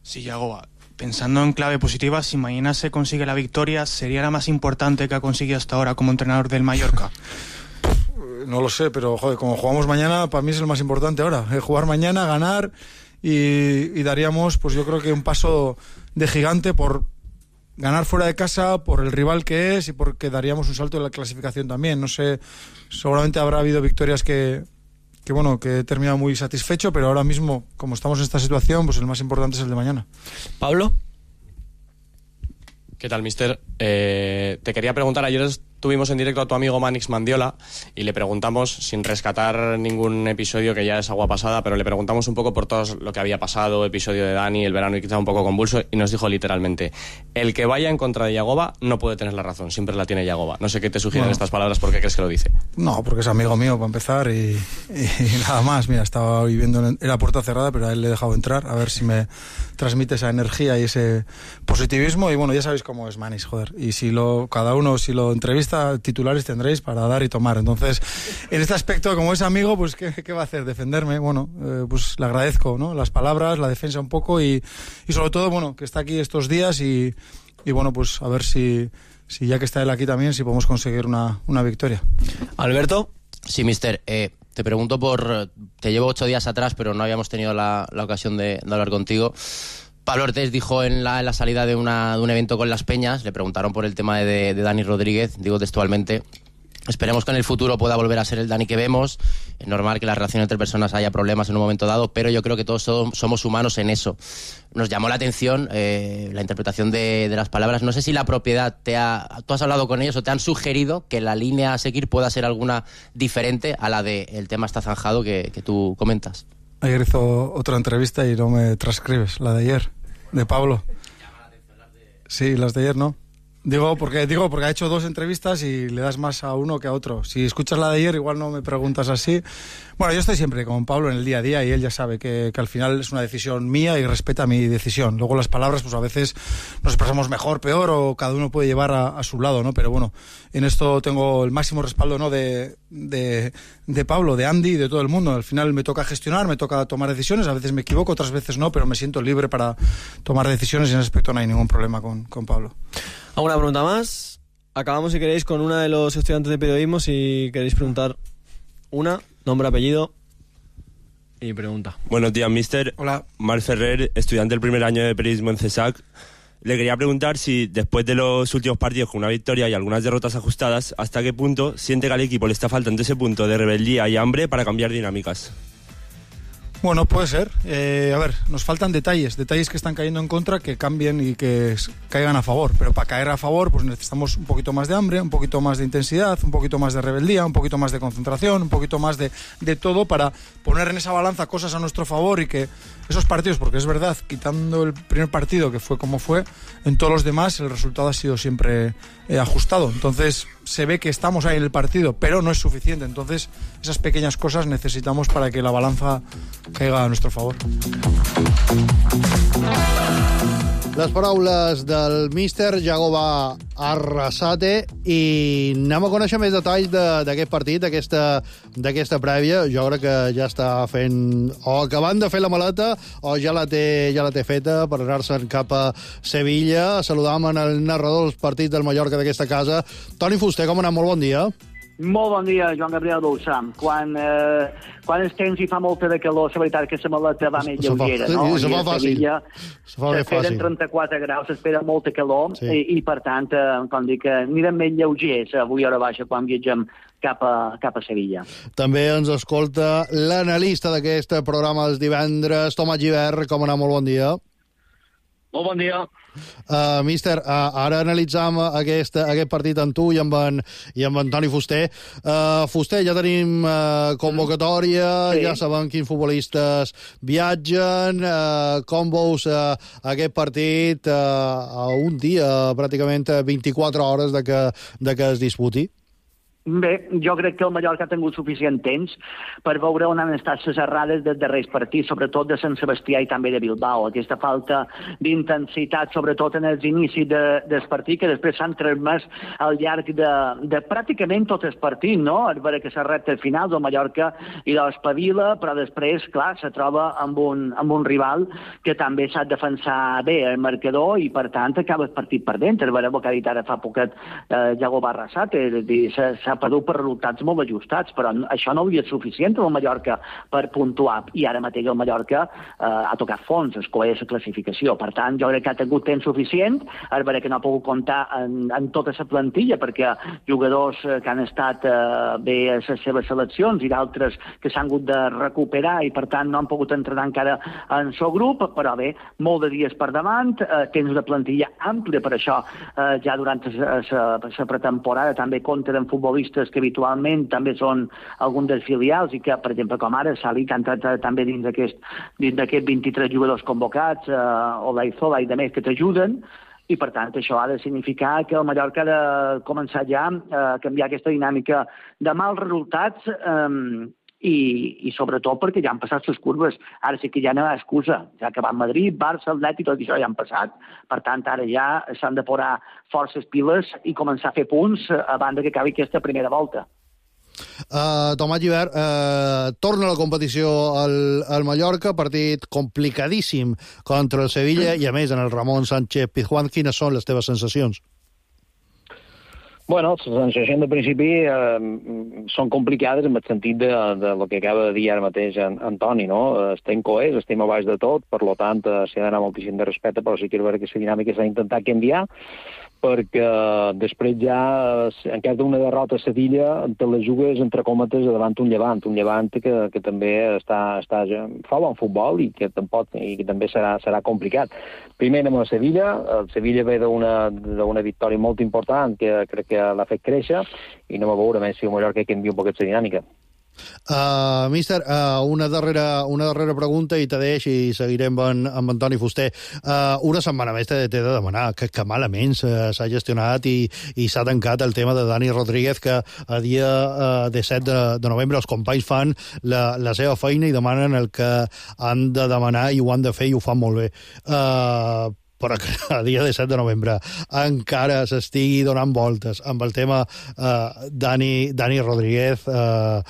Sí, Yagoba. Pensando en clave positiva, si mañana se consigue la victoria, ¿sería la más importante que ha conseguido hasta ahora como entrenador del Mallorca? No lo sé, pero joder, como jugamos mañana, para mí es el más importante ahora. Eh, jugar mañana, ganar y, y daríamos, pues yo creo que un paso de gigante por ganar fuera de casa, por el rival que es y porque daríamos un salto en la clasificación también. No sé, seguramente habrá habido victorias que... que bueno, que he terminado muy satisfecho, pero ahora mismo, como estamos en esta situación, pues el más importante es el de mañana. Pablo. ¿Qué tal, mister? Eh, te quería preguntar, ayer estuvimos en directo a tu amigo Manix Mandiola y le preguntamos, sin rescatar ningún episodio que ya es agua pasada, pero le preguntamos un poco por todo lo que había pasado, episodio de Dani, el verano y quizá un poco convulso, y nos dijo literalmente, el que vaya en contra de Yagoba no puede tener la razón, siempre la tiene Yagoba. No sé qué te sugieren bueno. estas palabras, ¿por qué crees que lo dice? No, porque es amigo mío, para empezar, y, y nada más. Mira, estaba viviendo en la puerta cerrada, pero a él le he dejado entrar, a ver si me transmite esa energía y ese positivismo, y bueno, ya sabéis cómo es Manix, joder, y si lo, cada uno, si lo entrevista, titulares tendréis para dar y tomar. Entonces, en este aspecto, como es amigo, pues ¿qué, qué va a hacer? Defenderme. Bueno, eh, pues le agradezco, ¿no? Las palabras, la defensa un poco y, y sobre todo, bueno, que está aquí estos días y, y bueno, pues a ver si, si ya que está él aquí también, si podemos conseguir una, una victoria. Alberto. Sí, mister, eh, te pregunto por... Te llevo ocho días atrás, pero no habíamos tenido la, la ocasión de, de hablar contigo. Pablo Ortiz dijo en la, en la salida de, una, de un evento con Las Peñas, le preguntaron por el tema de, de Dani Rodríguez, digo textualmente, esperemos que en el futuro pueda volver a ser el Dani que vemos, es normal que la relación entre personas haya problemas en un momento dado, pero yo creo que todos somos humanos en eso. Nos llamó la atención eh, la interpretación de, de las palabras, no sé si la propiedad te ha... ¿Tú has hablado con ellos o te han sugerido que la línea a seguir pueda ser alguna diferente a la de el tema está zanjado que, que tú comentas? Ayer hizo otra entrevista y no me transcribes, la de ayer, de Pablo. Sí, las de ayer no. Digo porque, digo porque ha hecho dos entrevistas y le das más a uno que a otro. Si escuchas la de ayer, igual no me preguntas así. Bueno, yo estoy siempre con Pablo en el día a día y él ya sabe que, que al final es una decisión mía y respeta mi decisión. Luego las palabras, pues a veces nos expresamos mejor, peor o cada uno puede llevar a, a su lado, ¿no? Pero bueno, en esto tengo el máximo respaldo, ¿no? De, de, de Pablo, de Andy y de todo el mundo. Al final me toca gestionar, me toca tomar decisiones. A veces me equivoco, otras veces no, pero me siento libre para tomar decisiones y en ese aspecto no hay ningún problema con, con Pablo. ¿Alguna pregunta más? Acabamos, si queréis, con una de los estudiantes de periodismo. Si queréis preguntar una, nombre, apellido y pregunta. Buenos días, mister. Hola. Marc Ferrer, estudiante del primer año de periodismo en CESAC. Le quería preguntar si, después de los últimos partidos con una victoria y algunas derrotas ajustadas, ¿hasta qué punto siente que al equipo le está faltando ese punto de rebeldía y hambre para cambiar dinámicas? Bueno, puede ser. Eh, a ver, nos faltan detalles, detalles que están cayendo en contra, que cambien y que caigan a favor. Pero para caer a favor, pues necesitamos un poquito más de hambre, un poquito más de intensidad, un poquito más de rebeldía, un poquito más de concentración, un poquito más de, de todo para poner en esa balanza cosas a nuestro favor y que esos partidos, porque es verdad, quitando el primer partido que fue como fue, en todos los demás el resultado ha sido siempre eh, ajustado. Entonces se ve que estamos ahí en el partido, pero no es suficiente. Entonces esas pequeñas cosas necesitamos para que la balanza caiga a nuestro favor. Les paraules del míster Jagoba Arrasate, i anem a conèixer més detalls d'aquest partit, d'aquesta prèvia. Jo crec que ja està fent, o acabant de fer la maleta, o ja la té, ja la té feta per anar-se'n cap a Sevilla. Saludam en el narrador dels partits del Mallorca d'aquesta casa, Toni Fuster. Com anem? Molt bon dia. Molt bon dia, Joan Gabriel Dolçà. Quan, eh, quan és temps i fa molta de calor, la veritat que la maleta va més lleugera, no? Se fa fàcil. Se fa bé fàcil. S'esperen trenta-quatre graus, s'espera molta calor, sí. i, i per tant, eh, com dic, anirem més lleugers avui a hora baixa quan viatgem cap a, cap a Sevilla. També ens escolta l'analista d'aquest programa els divendres, Tomàs Gibert. Com anem? Molt bon dia. Molt bon dia. Uh, míster, uh, ara analitzam aquest, aquest partit amb tu i amb en, i amb en Toni Fuster. Uh, Fuster, ja tenim uh, convocatòria, sí. Ja sabem quins futbolistes viatgen. Uh, com veus uh, aquest partit uh, a un dia, pràcticament vint-i-quatre hores de que, de que es disputi? Bé, jo crec que el Mallorca ha tingut suficient temps per veure on han estat les errades dels darrers partits, sobretot de Sant Sebastià i també de Bilbao. Aquesta falta d'intensitat, sobretot en els inicis de, del partit, que després s'han transmès al llarg de, de pràcticament tot el partit, no? A veure que s'ha recta al final del Mallorca i de l'espavila, però després, clar, se troba amb un, amb un rival que també s'ha de defensar bé el marcador i, per tant, acaba el partit perdent. A veure, el que ha dit ara fa poquet eh, Jagoba Arrasate, és a dir, s'ha perdut per resultats molt ajustats, però això no havia suficient al Mallorca per puntuar, i ara mateix el Mallorca eh, ha tocat fons, es coeix la classificació. Per tant, jo crec que ha tingut temps suficient, a veure que no ha pogut comptar en, en tota la plantilla, perquè jugadors que han estat eh, bé a les seves seleccions i d'altres que s'han hagut de recuperar i, per tant, no han pogut entrenar encara en el seu grup, però bé, molt de dies per davant, eh, temps de plantilla àmplia, per això eh, ja durant la pretemporada també compten en futbolistes que habitualment també són algun dels filials i que, per exemple, com ara, Salí, que ha entrat també dins d'aquests vint-i-tres jugadors convocats, eh, o l'Aizola i demés que t'ajuden, i per tant això ha de significar que el Mallorca ha de començar ja a canviar aquesta dinàmica de mals resultats, eh, i, i sobretot perquè ja han passat les curves. Ara sí que ja no hi ha excusa. Ja que va a Madrid, Barça, Atlètic, tot això ja han passat. Per tant, ara ja s'han de posar forces piles i començar a fer punts a banda que acabi aquesta primera volta. Uh, Tomàs Gibert, uh, torna a la competició al, al Mallorca, partit complicadíssim contra el Sevilla, i a més en el Ramon Sánchez Pizjuán. Quines són les teves sensacions? Bueno, les sensacions de principi eh, són complicades en el sentit de, de lo que acaba de dir ara mateix en, Antoni, no? Estem coers, estem a baix de tot, per lo tant s'hi ha d'anar moltíssim de respecte, però sí que és vera que la dinàmica s'ha d'intentar canviar, perquè després ja, en cas d'una derrota a Sevilla, te la jugues entre còmetes davant un Llevant, un Llevant que, que també està, està, fa bon futbol i que, tampoc, i que també serà, serà complicat. Primer anem a Sevilla, el Sevilla ve d'una victòria molt important que crec que l'ha fet créixer, i anem a veure més si el Mallorca canvia un poquet la dinàmica. Uh, míster, uh, una, darrera, una darrera pregunta i te deix i seguirem amb, amb Antoni Fuster. Uh, una setmana més t'he de demanar que, que malament s'ha gestionat i, i s'ha tancat el tema de Dani Rodríguez, que a dia uh, disset de, de novembre els companys fan la, la seva feina i demanen el que han de demanar i ho han de fer i ho fan molt bé. Uh, però que a dia disset de novembre encara s'estigui donant voltes amb el tema uh, Dani, Dani Rodríguez, uh,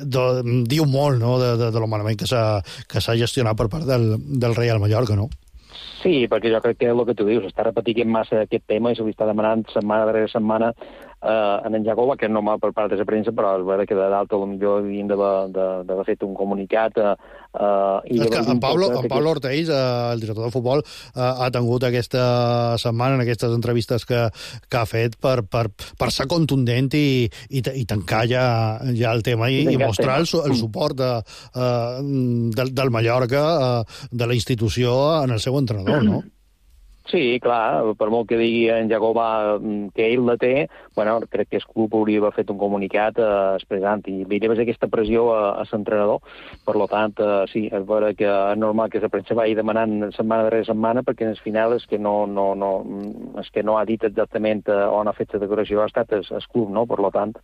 do, diu molt, no?, de, de, de lo malament que s'ha gestionat per part del, del Real Mallorca, no? Sí, perquè jo crec que és el que tu dius, està repetint massa aquest tema i se li està demanant setmana darrere setmana eh, en en Jacoba, que és normal per part de la premsa, però és vera que de dalt potser havien d'haver fet un comunicat. Eh, eh, i és que en Pablo, en Pablo que... Orteix, eh, el director de futbol, eh, ha tingut aquesta setmana, en aquestes entrevistes que, que ha fet, per, per, per ser contundent i, i, i tancar ja, ja el tema i, i mostrar el, el suport de, eh, del, del Mallorca, eh, de la institució, en el seu entrenador, no? Sí, clar, per molt que digui en Jacobà que ell la té, bueno, crec que el club hauria d'haver fet un comunicat eh, expressant i hi havia aquesta pressió a, a l'entrenador. Per lo tant, eh, sí, és vera que és normal que la premsa vagi demanant setmana darrere setmana, perquè en el final és que no, no, no, és que no ha dit exactament on ha fet la decoració, ha estat el, el club, no? Per lo tant,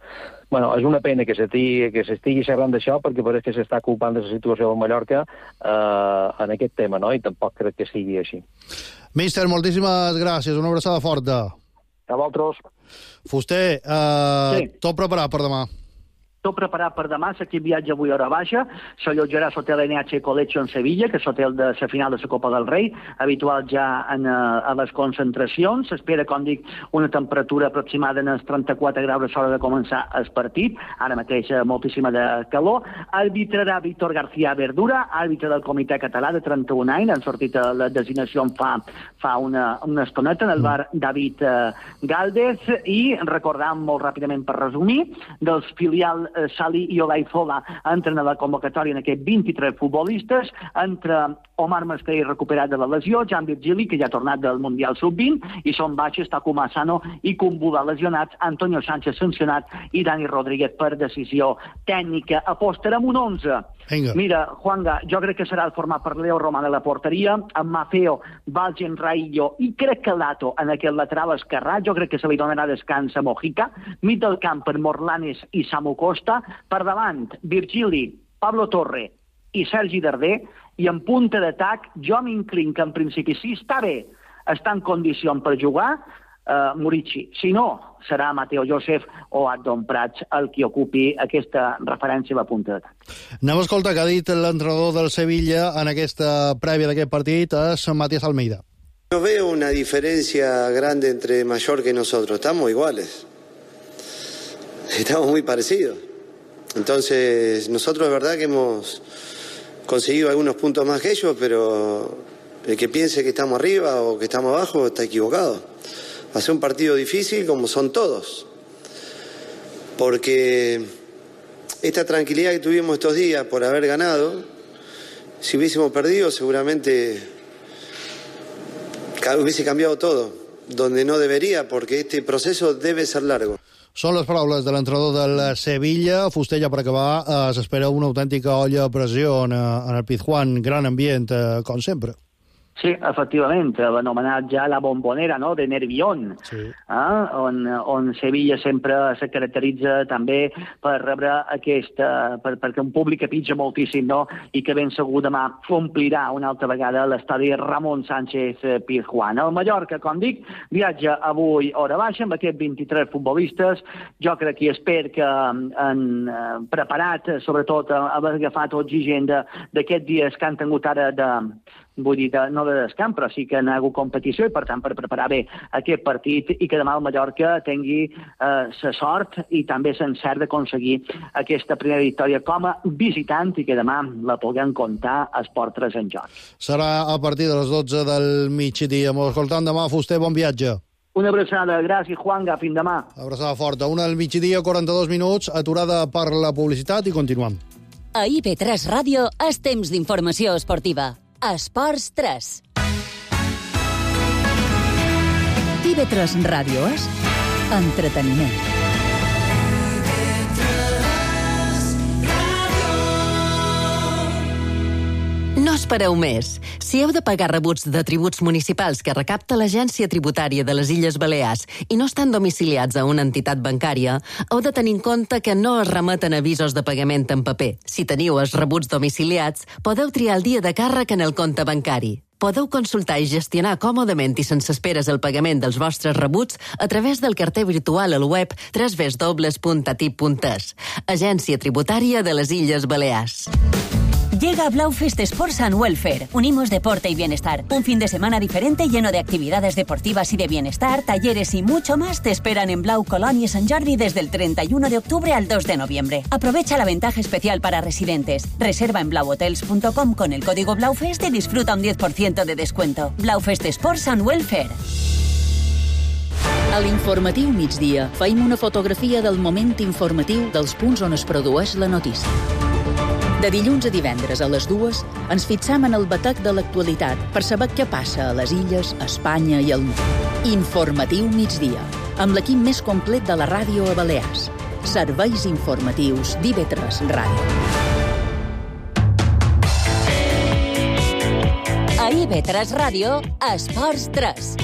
bueno, és una pena que s'estigui que s'estigui xerrant d'això, perquè pareix que s'està culpant de la situació del Mallorca eh, en aquest tema, no? I tampoc crec que sigui així. Míster, moltíssimes gràcies. Una abraçada forta. A vosaltres. Fuster, eh, sí. Tot preparat per demà. Tot preparat per demà, l'equip viatja avui a hora baixa, s'allotjarà a l'hotel N H Collection en Sevilla, que és l'hotel de la final de la Copa del Rei, habitual ja en, a les concentracions. S'espera, com dic, una temperatura aproximada en els trenta-quatre graus a l'hora de començar el partit, ara mateix moltíssima de calor. Arbitrarà Víctor García Verdura, àrbitre del Comitè Català de trenta-un anys, han sortit a la designació fa, fa una, una estoneta en el bar David eh, Gálvez, i recordant molt ràpidament per resumir, dels filials Salí i Olaizola entren a la convocatòria en aquests vint-i-tres futbolistes, entre Omar Mascarell recuperat de la lesió, Jan Virgili, que ja ha tornat del Mundial sub vint, i són baixes Takuma Asano i Kumbula lesionats, Antonio Sánchez sancionat i Dani Rodríguez per decisió tècnica. Apostarem un onze. Venga. Mira, Juanga, jo crec que serà el format per Leo Román a la porteria, amb Mafeo, Valgen Raillo i crec que Lato en aquest lateral esquerrà, jo crec que se li donarà descans a Mojica, mig del camp per Morlanes i Samu Costa, per davant Virgili, Pablo Torre i Sergi Darder, i en punta d'atac jo m'inclin que en principi sí està bé, està en condicions per jugar, uh, Murici. Si no, serà Mateo Josef o Adon Prats el qui ocupi aquesta referència a la punta d'atac. Anem a escoltar què ha dit l'entrenador del Sevilla en aquesta prèvia d'aquest partit, és Matías Almeida. No veo una diferencia grande entre Mallorca y nosotros, estamos iguales. Estamos muy parecidos. Entonces, nosotros es verdad que hemos conseguido algunos puntos más que ellos, pero el que piense que estamos arriba o que estamos abajo está equivocado. Va a ser un partido difícil como son todos. Porque esta tranquilidad que tuvimos estos días por haber ganado, si hubiésemos perdido seguramente hubiese cambiado todo, donde no debería, porque este proceso debe ser largo. Són les paraules de l'entrenador del Sevilla. Fustella, per acabar, eh, s'espera una autèntica olla a pressió en, en el Pizjuán. Gran ambient, eh, com sempre. Sí, efectivament, l'anomenat ja la bombonera, no?, de Nervión, sí. eh? on, on Sevilla sempre se caracteritza també per rebre aquesta, per, perquè un públic que pitja moltíssim, no?, i que ben segur demà omplirà una altra vegada l'estadi Ramon Sánchez Pizjuán. El Mallorca, com dic, viatja avui hora baixa amb aquests vint-i-tres futbolistes. Jo crec que espero que han preparat, sobretot, haver agafat oxigen d'aquests dies que han tingut ara de vull dir, de, no de descans, però sí que han hagut competició i, per tant, per preparar bé aquest partit i que demà el Mallorca tingui la eh, sort i també l'encert d'aconseguir aquesta primera victòria com a visitant i que demà la puguem comptar a Esport tres en joc. Serà a partir de les dotze del migdia. M'ho escoltant demà, Fuster, bon viatge. Una abraçada, gràcies, Juanga, fins demà. Abraçada forta. Una del migdia, quaranta-dos minuts, aturada per la publicitat i continuem. A I P tres Ràdio és temps d'informació esportiva. Esports tres. I B tres Ràdio és entreteniment. No espereu més. Si heu de pagar rebuts de tributs municipals que recapta l'Agència Tributària de les Illes Balears i no estan domiciliats a una entitat bancària, heu de tenir en compte que no es remeten avisos de pagament en paper. Si teniu els rebuts domiciliats, podeu triar el dia de càrrec en el compte bancari. Podeu consultar i gestionar còmodament i sense esperes el pagament dels vostres rebuts a través del carter virtual al web w w w punt atip punt es. Agència Tributària de les Illes Balears. Llega Blaufest Sports and Welfare. Unimos deporte y bienestar. Un fin de semana diferente lleno de actividades deportivas y de bienestar, talleres y mucho más te esperan en Blau Colonia Sant Jordi desde el treinta y uno de octubre al dos de noviembre. Aprovecha la ventaja especial para residentes. Reserva en blau hotels punto com con el código Blaufest y disfruta un diez por ciento de descuento. Blaufest Sports and Welfare. A l'informatiu migdia feim una fotografia del moment informatiu dels punts on es produeix la notícia. De dilluns a divendres a les dues ens fixam en el batec de l'actualitat per saber què passa a les illes, a Espanya i al món. Informatiu migdia, amb l'equip més complet de la ràdio a Balears. Serveis informatius d'I V tres Ràdio. A I V tres Ràdio, Esports tres.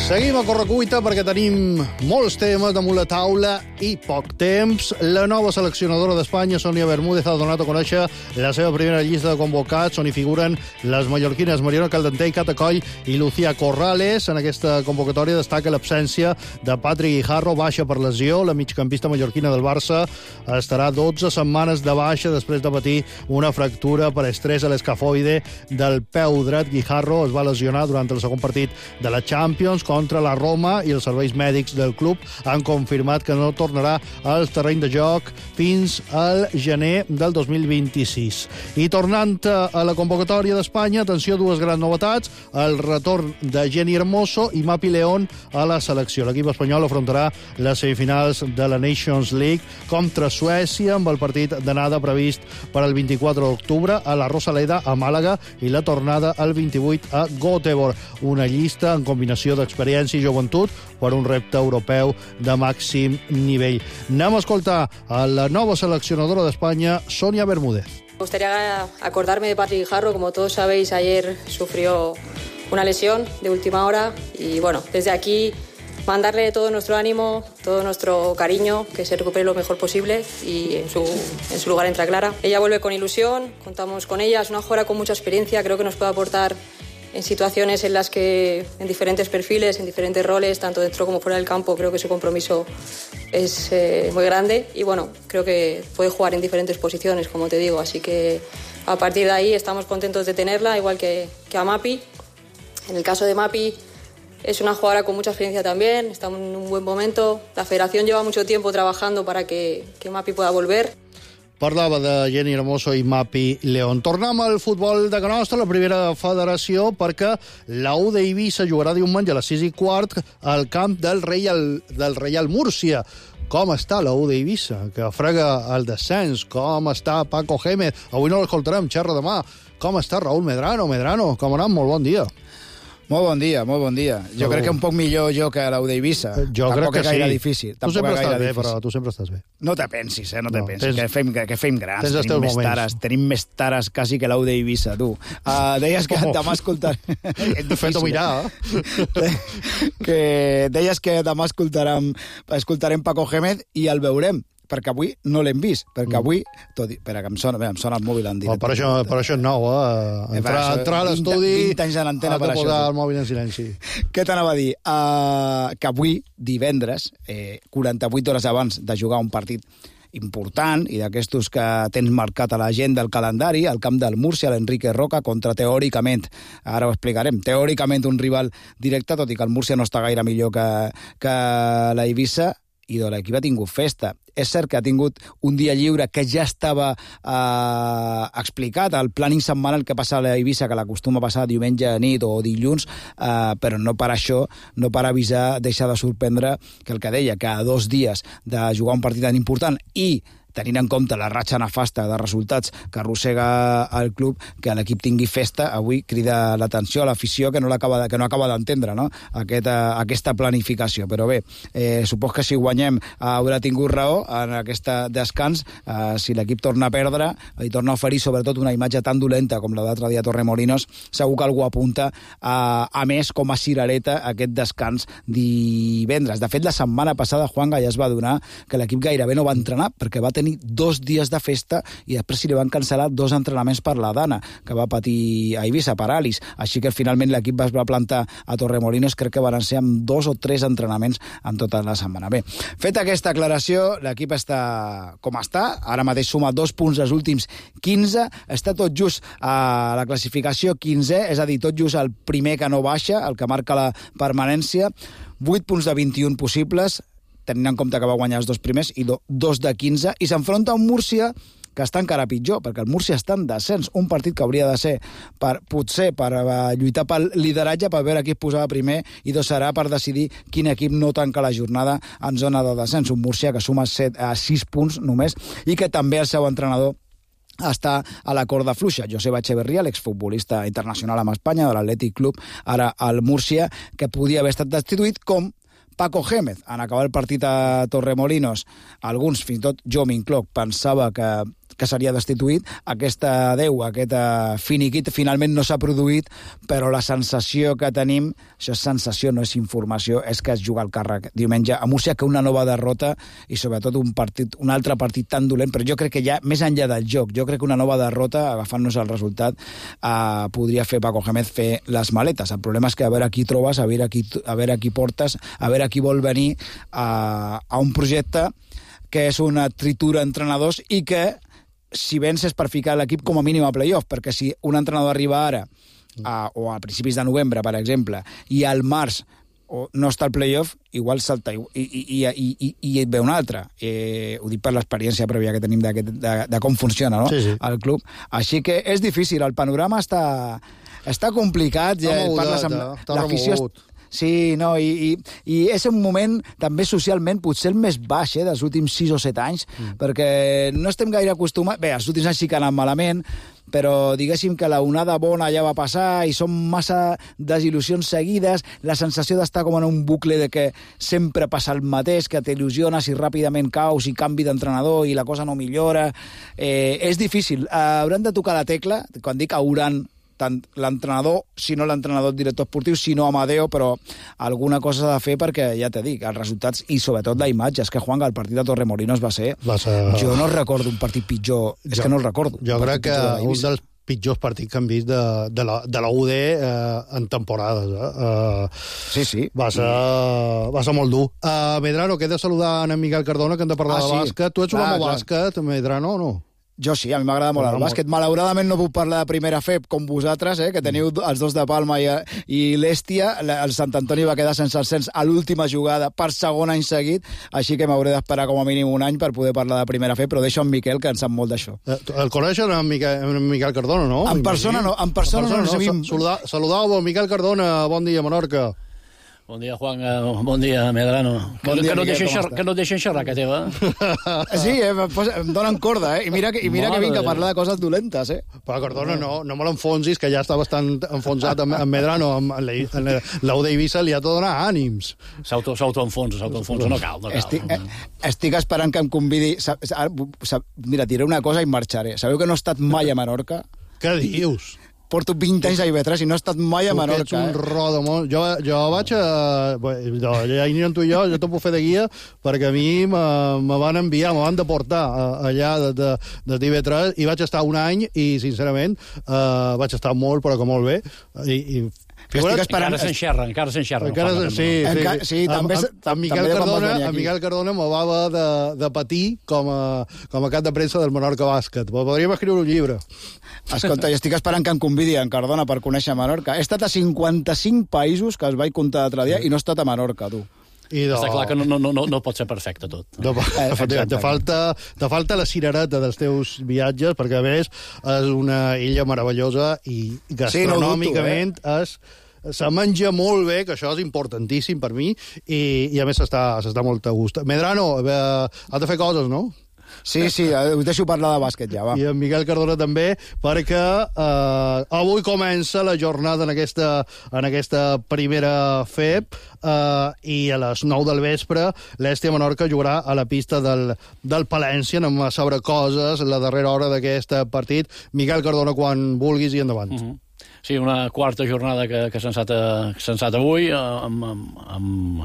Seguim a correcuita perquè tenim molts temes damunt la taula i poc temps. La nova seleccionadora d'Espanya, Sònia Bermúdez, ha donat a conèixer la seva primera llista de convocats, on hi figuren les mallorquines Mariona Caldentey, Cata Coll i Lucía Corrales. En aquesta convocatòria destaca l'absència de Patrick Guijarro, baixa per lesió. La migcampista mallorquina del Barça estarà dotze setmanes de baixa després de patir una fractura per estrès a l'escafoide del peu dret. Guijarro es va lesionar durant el segon partit de la Champions contra la Roma i els serveis mèdics del club han confirmat que no tornarà al terreny de joc fins al gener del dos mil vint-i-sis. I tornant a la convocatòria d'Espanya, atenció, dues grans novetats: el retorn de Jenny Hermoso i Mapi León a la selecció. L'equip espanyol afrontarà les semifinals de la Nations League contra Suècia, amb el partit d'anada previst per al vint-i-quatre d'octubre a la Rosaleda, a Màlaga, i la tornada el vint-i-vuit a Göteborg. Una llista en combinació d'experiència i joventut per un repte europeu de màxim nivell. Anem a escoltar a la nova seleccionadora d'Espanya, Sònia Bermúdez. Me gustaría acordarme de Patrick Guijarro. Como todos sabéis, ayer sufrió una lesión de última hora y bueno, desde aquí mandarle todo nuestro ánimo, todo nuestro cariño, que se recupere lo mejor posible y en su, en su lugar entra Clara. Ella vuelve con ilusión, contamos con ella, es una jugadora con mucha experiencia, creo que nos puede aportar en situaciones en las que, en diferentes perfiles, en diferentes roles, tanto dentro como fuera del campo, creo que su compromiso es eh, muy grande y bueno, creo que puede jugar en diferentes posiciones, como te digo, así que a partir de ahí estamos contentos de tenerla, igual que, que a Mapi. En el caso de Mapi, es una jugadora con mucha experiencia también, está en un buen momento, la federación lleva mucho tiempo trabajando para que, que Mapi pueda volver. Parlava de Jenny Hermoso i Mapi León. Tornem al futbol de casa nostra, la primera federació, perquè la U d'Eivissa jugarà diumenge a les sis i quart al camp del Reial, del Reial Múrcia. Com està la U d'Eivissa, que frega el descens? Com està Paco Gémez? Avui no l'escoltarem, xerra demà. Com està Raúl Medrano? Medrano, com anem? Molt bon dia. Molt bon dia, molt bon dia. Jo crec que un poc millor jo que la U d'Eivissa. Jo crec que sí. Tampoc és gaire difícil. Tu sempre estàs bé, però tu sempre estàs bé. No te pensis, eh? No te No, pensis. tens- Que fem, que, que fem grans. tens els Tenim teus més moments. tares, tenim més tares quasi que la U d'Eivissa, tu. Uh, deies que Oh. demà escoltarem... Fet-ho mirar, que deies que demà escoltarem, escoltarem Paco Gémez i el veurem, perquè avui no l'hem vist, perquè avui... Tot, i- espera, que em sona, bé, em sona el mòbil en Oh, directe. per, això, per això és nou, eh? Entrar, això, entrar a vint- l'estudi... vint anys a l'antena has de per això, posar tu. el mòbil en silenci. Què t'anava a dir? Uh, que avui, divendres, eh, quaranta-vuit hores abans de jugar un partit important i d'aquestos que tens marcat a l'agenda del calendari, al camp del Múrcia, l'Enrique Roca, contra teòricament, ara ho explicarem, teòricament un rival directe, tot i que el Múrcia no està gaire millor que, que la Eivissa, i de l'equip ha tingut festa. És cert que ha tingut un dia lliure que ja estava eh, explicat, el planning setmanal que passa a la Eivissa, que l'acostuma a passar diumenge a nit o dilluns, eh, però no per això, no per avisar, deixa de sorprendre que el que deia, que a dos dies de jugar un partit tan important i tenint en compte la ratxa nefasta de resultats que arrossega el club, que l'equip tingui festa, avui crida l'atenció a l'afició que no l'acaba de, que no acaba d'entendre, no? Aquest, uh, aquesta planificació. Però bé, eh, supos que si guanyem uh, haurà tingut raó en aquest descans. Uh, si l'equip torna a perdre i torna a oferir sobretot una imatge tan dolenta com la d'altre dia a Torremolinos, segur que algú apunta uh, a més com a cirereta aquest descans divendres. De fet, la setmana passada Juanga ja es va donar que l'equip gairebé no va entrenar perquè va tenir tenir dos dies de festa i després se li van cancel·lar dos entrenaments per la Dana, que va patir a Eivissa, paràlis. Així que finalment l'equip es va plantar a Torremolinos, crec que van ser amb dos o tres entrenaments en tota la setmana. Bé, feta aquesta aclaració, l'equip està com està, ara mateix suma dos punts dels últims quinze, està tot just a la classificació quinzè, és a dir, tot just el primer que no baixa, el que marca la permanència, vuit punts de vint-i-un possibles, tenint en compte que va guanyar els dos primers, i do, dos de quinze, i s'enfronta a un Múrcia que està encara pitjor, perquè el Múrcia està en descens, un partit que hauria de ser per, potser per uh, lluitar pel lideratge, per veure qui es posava primer, i dos serà per decidir quin equip no tanca la jornada en zona de descens. Un Múrcia que suma set a sis punts només, i que també el seu entrenador està a la corda fluixa. Joseba Echeverría, l'exfutbolista internacional amb Espanya, de l'Atlètic Club, ara al Múrcia, que podia haver estat destituït, com Paco Gémez. En acabar el partit a Torremolinos, alguns, fins i tot jo m'incloc, pensava que que seria destituït. Aquesta adeu, aquest finiquit, finalment no s'ha produït, però la sensació que tenim, això és sensació, no és informació, és que es juga el càrrec diumenge a Múrcia, que una nova derrota, i sobretot un partit, un altre partit tan dolent, però jo crec que ja, més enllà del joc, jo crec que una nova derrota, agafant-nos el resultat, eh, podria fer Paco Gémez fer les maletes. El problema és que a veure qui trobes, a veure qui, a veure qui portes, a veure qui vol venir a, a un projecte que és una tritura d'entrenadors i que si vens és per ficar l'equip com a mínim a playoff, perquè si un entrenador arriba ara, a, o a principis de novembre, per exemple, i al març o no està al playoff, igual salta i, i, i, i, i, i et ve un altre. Eh, ho dic per l'experiència prèvia que tenim de, de, de com funciona, no? Sí, sí. El club. Així que és difícil, el panorama està, està complicat, ja parles amb l'afició. Sí, no, i, i, i és un moment també socialment potser el més baix eh, dels últims sis o set anys, mm. perquè no estem gaire acostumats... Bé, els últims anys sí que han anat malament, però diguéssim que la onada bona ja va passar i són massa desil·lusions seguides, la sensació d'estar com en un bucle de que sempre passa el mateix, que t'il·lusiones i ràpidament caus i canvi d'entrenador i la cosa no millora. Eh, és difícil. Eh, hauran de tocar la tecla, quan dic hauran, tant l'entrenador, si no l'entrenador director esportiu, si no Amadeo, però alguna cosa s'ha de fer perquè, ja t'he dit, els resultats i sobretot la imatge. És que, Juan, el partit de Torremolinos va ser... Va ser... Jo no recordo un partit pitjor, és jo, que no el recordo. Jo crec que un dels pitjors partits que hem vist de, de, la, de la U D eh, en temporades. Eh? Uh, sí, sí. Va ser, va ser molt dur. Uh, Medrano, que he de saludar en Miquel Cardona, que hem de parlar ah, de sí. bàsquet. Tu ets jugat amb bàsquet, Medrano, o no? Jo sí, a mi m'agrada molt el bàsquet. Malauradament no puc parlar de primera F E P com vosaltres, eh, que teniu els dos de Palma i, i l'Èstia. El Sant Antoni va quedar sense ascens a l'última jugada per segon any seguit, així que m'hauré d'esperar com a mínim un any per poder parlar de primera F E P, però deixo en Miquel, que en sap molt d'això. El coneixen en Miquel, en Miquel Cardona, no? En persona no, en persona, en persona no. no. Saludar, saludau, Miquel Cardona, bon dia, Menorca. Bon dia, Juan. Bon dia, Medrano. Bon dia, que, no Miquel, xerrar, que no et deixen xerrar, que teva. Sí, eh, em donen corda, eh? I mira, que, i mira que vinc a parlar de coses dolentes, eh? Però, Cardona, no, no me l'enfonsis, que ja està bastant enfonsat amb, amb Medrano. Amb l'U d'Eivissa li ha de donar ànims. S'autoenfonsa, s'autoenfonsa, no cal, no cal. Estic, eh, estic esperant que em convidi... Sap, sap, mira, diré una cosa i marxaré. Sabeu que no he estat mai a Menorca? Què dius? Porto vint anys a I B tres i no he estat mai a Menorca. Tu ets un eh? rodamón. Jo, jo vaig a... Jo, ja hi tu i jo, jo t'ho puc fer de guia, perquè a mi me van enviar, me van deportar allà de, de, de I B tres i vaig estar un any i, sincerament, uh, vaig estar molt, però que molt bé. I, i Estic esperant... Encara s'enxerra, encara s'enxerra. Encara no sí, sí, Enca... sí. també, amb, amb, Miquel també Cardona, amb Miquel Cardona me va haver de, de patir com a, com a cap de premsa del Menorca Bàsquet. Podríem escriure un llibre. Escolta, jo estic esperant que em convidi en Cardona per conèixer Menorca. He estat a cinquanta-cinc països, que els vaig comptar l'altre dia, i no he estat a Menorca, tu. I de... Està clar que no, no, no, no pot ser perfecte tot. No, eh, te, falta, te falta la cirereta dels teus viatges, perquè a més és una illa meravellosa i gastronòmicament sí, no dubto, eh? és... Se menja molt bé, que això és importantíssim per mi, i, i a més s'està molt a gust. Medrano, eh, has de fer coses, no? Sí, sí, us deixo parlar de bàsquet ja, va. I en Miquel Cardona també, perquè eh, avui comença la jornada en aquesta, en aquesta primera F E P eh, i a les nou del vespre l'Èstia Menorca jugarà a la pista del, del Palència, anem a saber coses la darrera hora d'aquest partit. Miquel Cardona, quan vulguis i endavant. Uh-huh. Sí, una quarta jornada que, que s'ha ensat avui, amb, amb, amb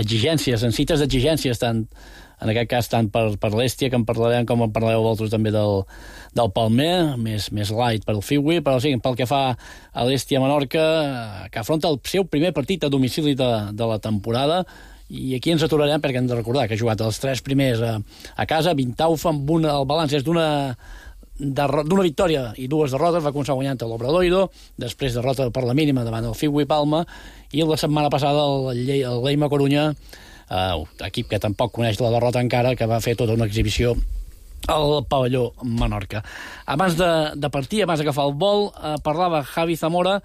exigències, amb cites d'exigències tant en aquest cas tant per, per l'Hèstia, que en parlarem, com en parlareu vosaltres també del, del Palmer, més, més light per al Fiui, però sí, pel que fa a l'Hèstia Menorca, que afronta el seu primer partit a domicili de, de la temporada, i aquí ens aturarem perquè hem de recordar que ha jugat els tres primers a, a casa, vint taufa, amb una, el balanç és d'una d'una victòria i dues derrotes, va començar guanyant l'Obradoiro, després derrota per la mínima davant el Fiui Palma, i la setmana passada el, el Leima Corunya, eh, equip que tampoc coneix la derrota encara, que va fer tota una exhibició al pavelló Menorca. Abans de, de partir, abans d'agafar el vol, eh, parlava Javi Zamora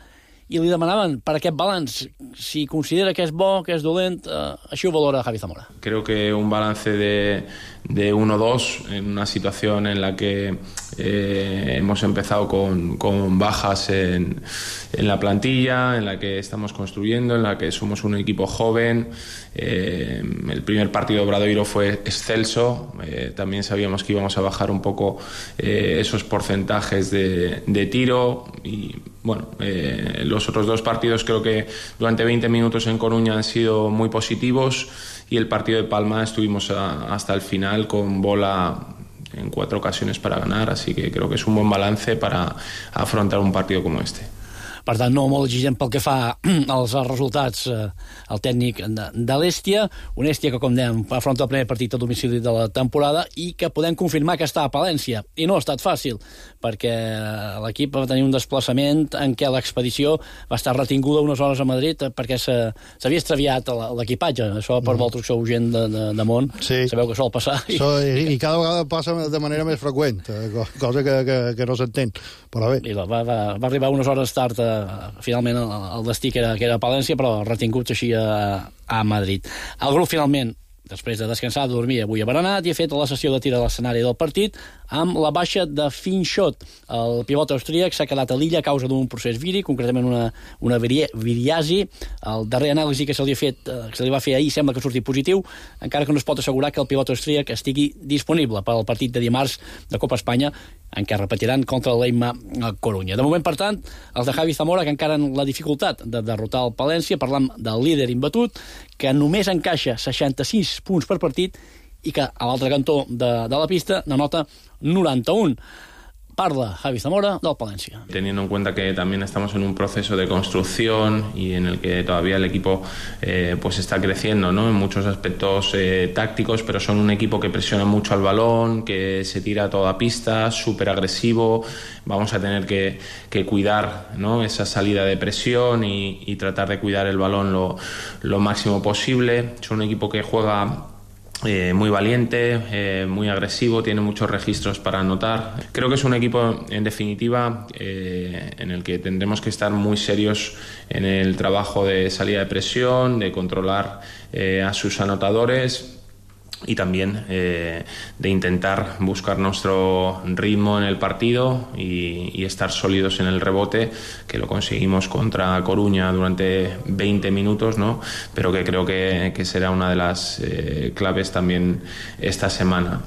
i li demanaven per aquest balanç, si considera que és bo, que és dolent, eh, així ho valora Javi Zamora. Creo que un balance de, de uno dos en una situación en la que eh, hemos empezado con, con bajas en, en la plantilla, en la que estamos construyendo, en la que somos un equipo joven. Eh, el primer partido de Obradoiro fue excelso, eh, también sabíamos que íbamos a bajar un poco eh, esos porcentajes de, de tiro y bueno, eh, los otros dos partidos creo que durante veinte minutos en Coruña han sido muy positivos y el partido de Palma estuvimos a, hasta el final con bola en cuatro ocasiones para ganar, así que creo que es un buen balance para afrontar un partido como este. Per tant, no molt exigent pel que fa als resultats eh, el tècnic de, de l'Hèstia, un Hèstia que, com dèiem, afronta el primer partit a domicili de la temporada i que podem confirmar que està a Palència. I no ha estat fàcil, perquè l'equip va tenir un desplaçament en què l'expedició va estar retinguda unes hores a Madrid perquè s'havia extraviat l'equipatge. Això per mm. vosaltres que sou gent de, de, de món, sí. Sabeu que sol passar. I... So, i, I cada vegada passa de manera més freqüent, cosa que, que, que no s'entén. Però bé. I va, va, va arribar unes hores tard a finalment el destí que era, que era a Palència, però retinguts així a, a Madrid. El grup finalment, després de descansar, de dormir, avui ha berenat i ha fet la sessió de tir a l'escenari del partit amb la baixa de Finchot. El pivot austríac s'ha quedat a l'illa a causa d'un procés viri, concretament una, una viriasi. El darrer anàlisi que se li, ha fet, que se li va fer ahir sembla que surti positiu, encara que no es pot assegurar que el pivot austríac estigui disponible per al partit de dimarts de Copa Espanya, en què repetiran contra el Leima Corunya. De moment, per tant, els de Javi Zamora, que encara en la dificultat de derrotar el Palència, parlam del líder imbatut, que només encaixa seixanta-sis punts per partit i que a l'altre cantó de, de la pista n'anota noranta-un. Parla Javi Zamora del Palencia. Teniendo en cuenta que también estamos en un proceso de construcción y en el que todavía el equipo eh, pues está creciendo, ¿no? En muchos aspectos eh, tácticos, pero son un equipo que presiona mucho al balón, que se tira a toda pista, súper agresivo. Vamos a tener que, que cuidar, ¿no? Esa salida de presión y, y tratar de cuidar el balón lo, lo máximo posible. Es un equipo que juega Eh, muy valiente, eh, muy agresivo, tiene muchos registros para anotar. Creo que es un equipo, en definitiva, eh, en el que tendremos que estar muy serios en el trabajo de salida de presión, de controlar eh, a sus anotadores y también eh, de intentar buscar nuestro ritmo en el partido y, y estar sólidos en el rebote, que lo conseguimos contra Coruña durante veinte minutos, ¿no? Pero que creo que, que será una de las eh, claves también esta semana.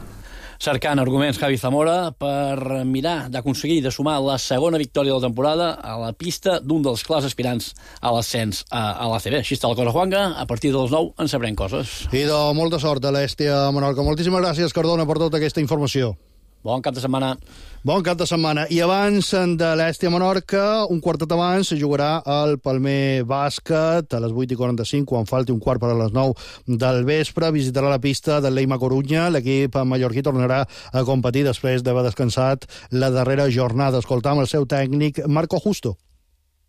Cercant arguments Javi Zamora per mirar d'aconseguir de sumar la segona victòria de la temporada a la pista d'un dels clars aspirants a l'ascens a, a l'A C B. Així està la cosa, Juanga. A partir dels nou en sabrem coses. I de molta sort a l'Hèstia Menorca. Moltíssimes gràcies, Cardona, per tota aquesta informació. Bon cap de setmana. Bon cap de setmana. I abans de l'Hèstia Menorca, un quartet abans, se jugarà el Palmer Bàsquet a les vuit i quaranta-cinc, quan falti un quart per a les nou del vespre. Visitarà la pista del Leima Corunya. L'equip mallorquí tornarà a competir després d'haver descansat la darrera jornada. Escoltam el seu tècnic, Marco Justo.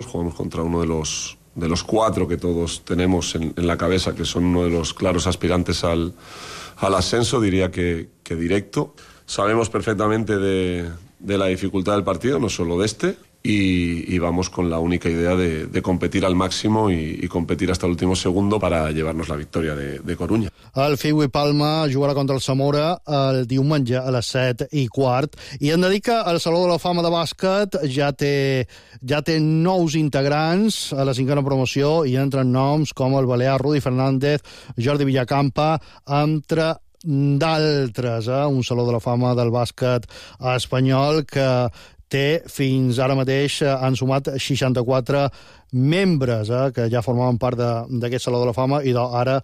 Jugamos contra uno de los, de los cuatro que todos tenemos en, en la cabeza, que son uno de los claros aspirantes al, al ascenso, diría que, que directo. Sabemos perfectamente de, de la dificultad del partido, no solo de este, y, y vamos con la única idea de, de competir al máximo y, y competir hasta el último segundo para llevarnos la victoria de, de Coruña. El Fiui Palma jugarà contra el Zamora el diumenge a les set i quart, i hem de dir que el Saló de la Fama de Bàsquet ja té, ja té nous integrants a la cinquena promoció, i entren noms com el balear Rudi Fernández, Jordi Villacampa, entre d'altres, eh? Un Saló de la Fama del bàsquet espanyol que té fins ara mateix, han sumat seixanta-quatre membres, eh? Que ja formaven part d'aquest Saló de la Fama, i ara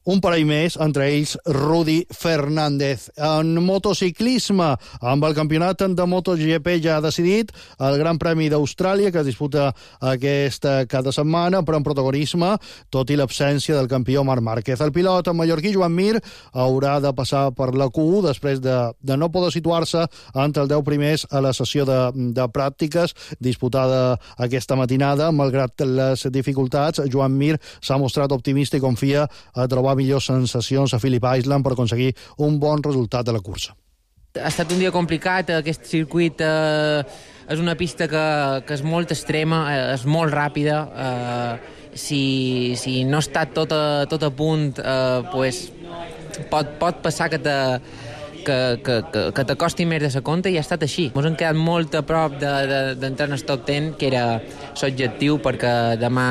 un parell més, entre ells Rudi Fernández. En motociclisme, amb el campionat de MotoGP ja decidit, el Gran Premi d'Austràlia, que es disputa aquesta cada setmana, però en protagonisme, tot i l'absència del campió Marc Márquez. El pilot mallorquí Joan Mir haurà de passar per la Q u després de, de no poder situar-se entre els deu primers a la sessió de, de pràctiques disputada aquesta matinada. Malgrat les dificultats, Joan Mir s'ha mostrat optimista i confia a trobar millors sensacions a Phillip Island per aconseguir un bon resultat de la cursa. Ha estat un dia complicat, aquest circuit eh, és una pista que, que és molt extrema, eh, és molt ràpida, eh, si, si no està tot a, tot a punt, eh, pues, pot, pot passar que te, que, que, que, que t'acosti més de sa compte, i ha estat així. Ens hem quedat molt a prop d'entrar de, de, en el top deu, que era l'objectiu, perquè demà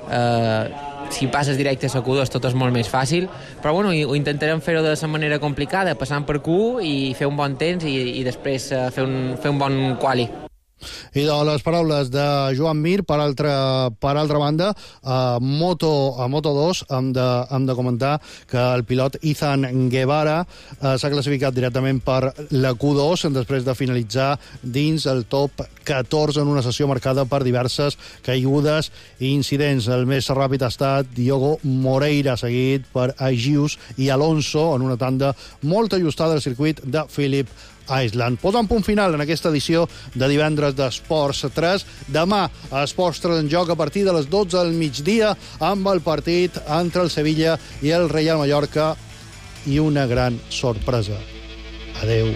eh, si passes directe a la Q dos tot és molt més fàcil, però bueno, ho intentarem fer-ho de la manera complicada, passant per Q u i fer un bon temps i, i després uh, fer, un, fer un bon quali. I de les paraules de Joan Mir, per altra, per altra banda, a Moto, a Moto dos hem de, hem de comentar que el pilot Izan Guevara eh, s'ha classificat directament per la Q dos després de finalitzar dins el top catorze en una sessió marcada per diverses caigudes i incidents. El més ràpid ha estat Diogo Moreira, seguit per Agius i Alonso en una tanda molt ajustada al circuit de Phillip Island. Posant punt final en aquesta edició de divendres d'Esports tres. Demà a Esports tres en joc a partir de les dotze del migdia amb el partit entre el Sevilla i el Reial Mallorca i una gran sorpresa. Adeu.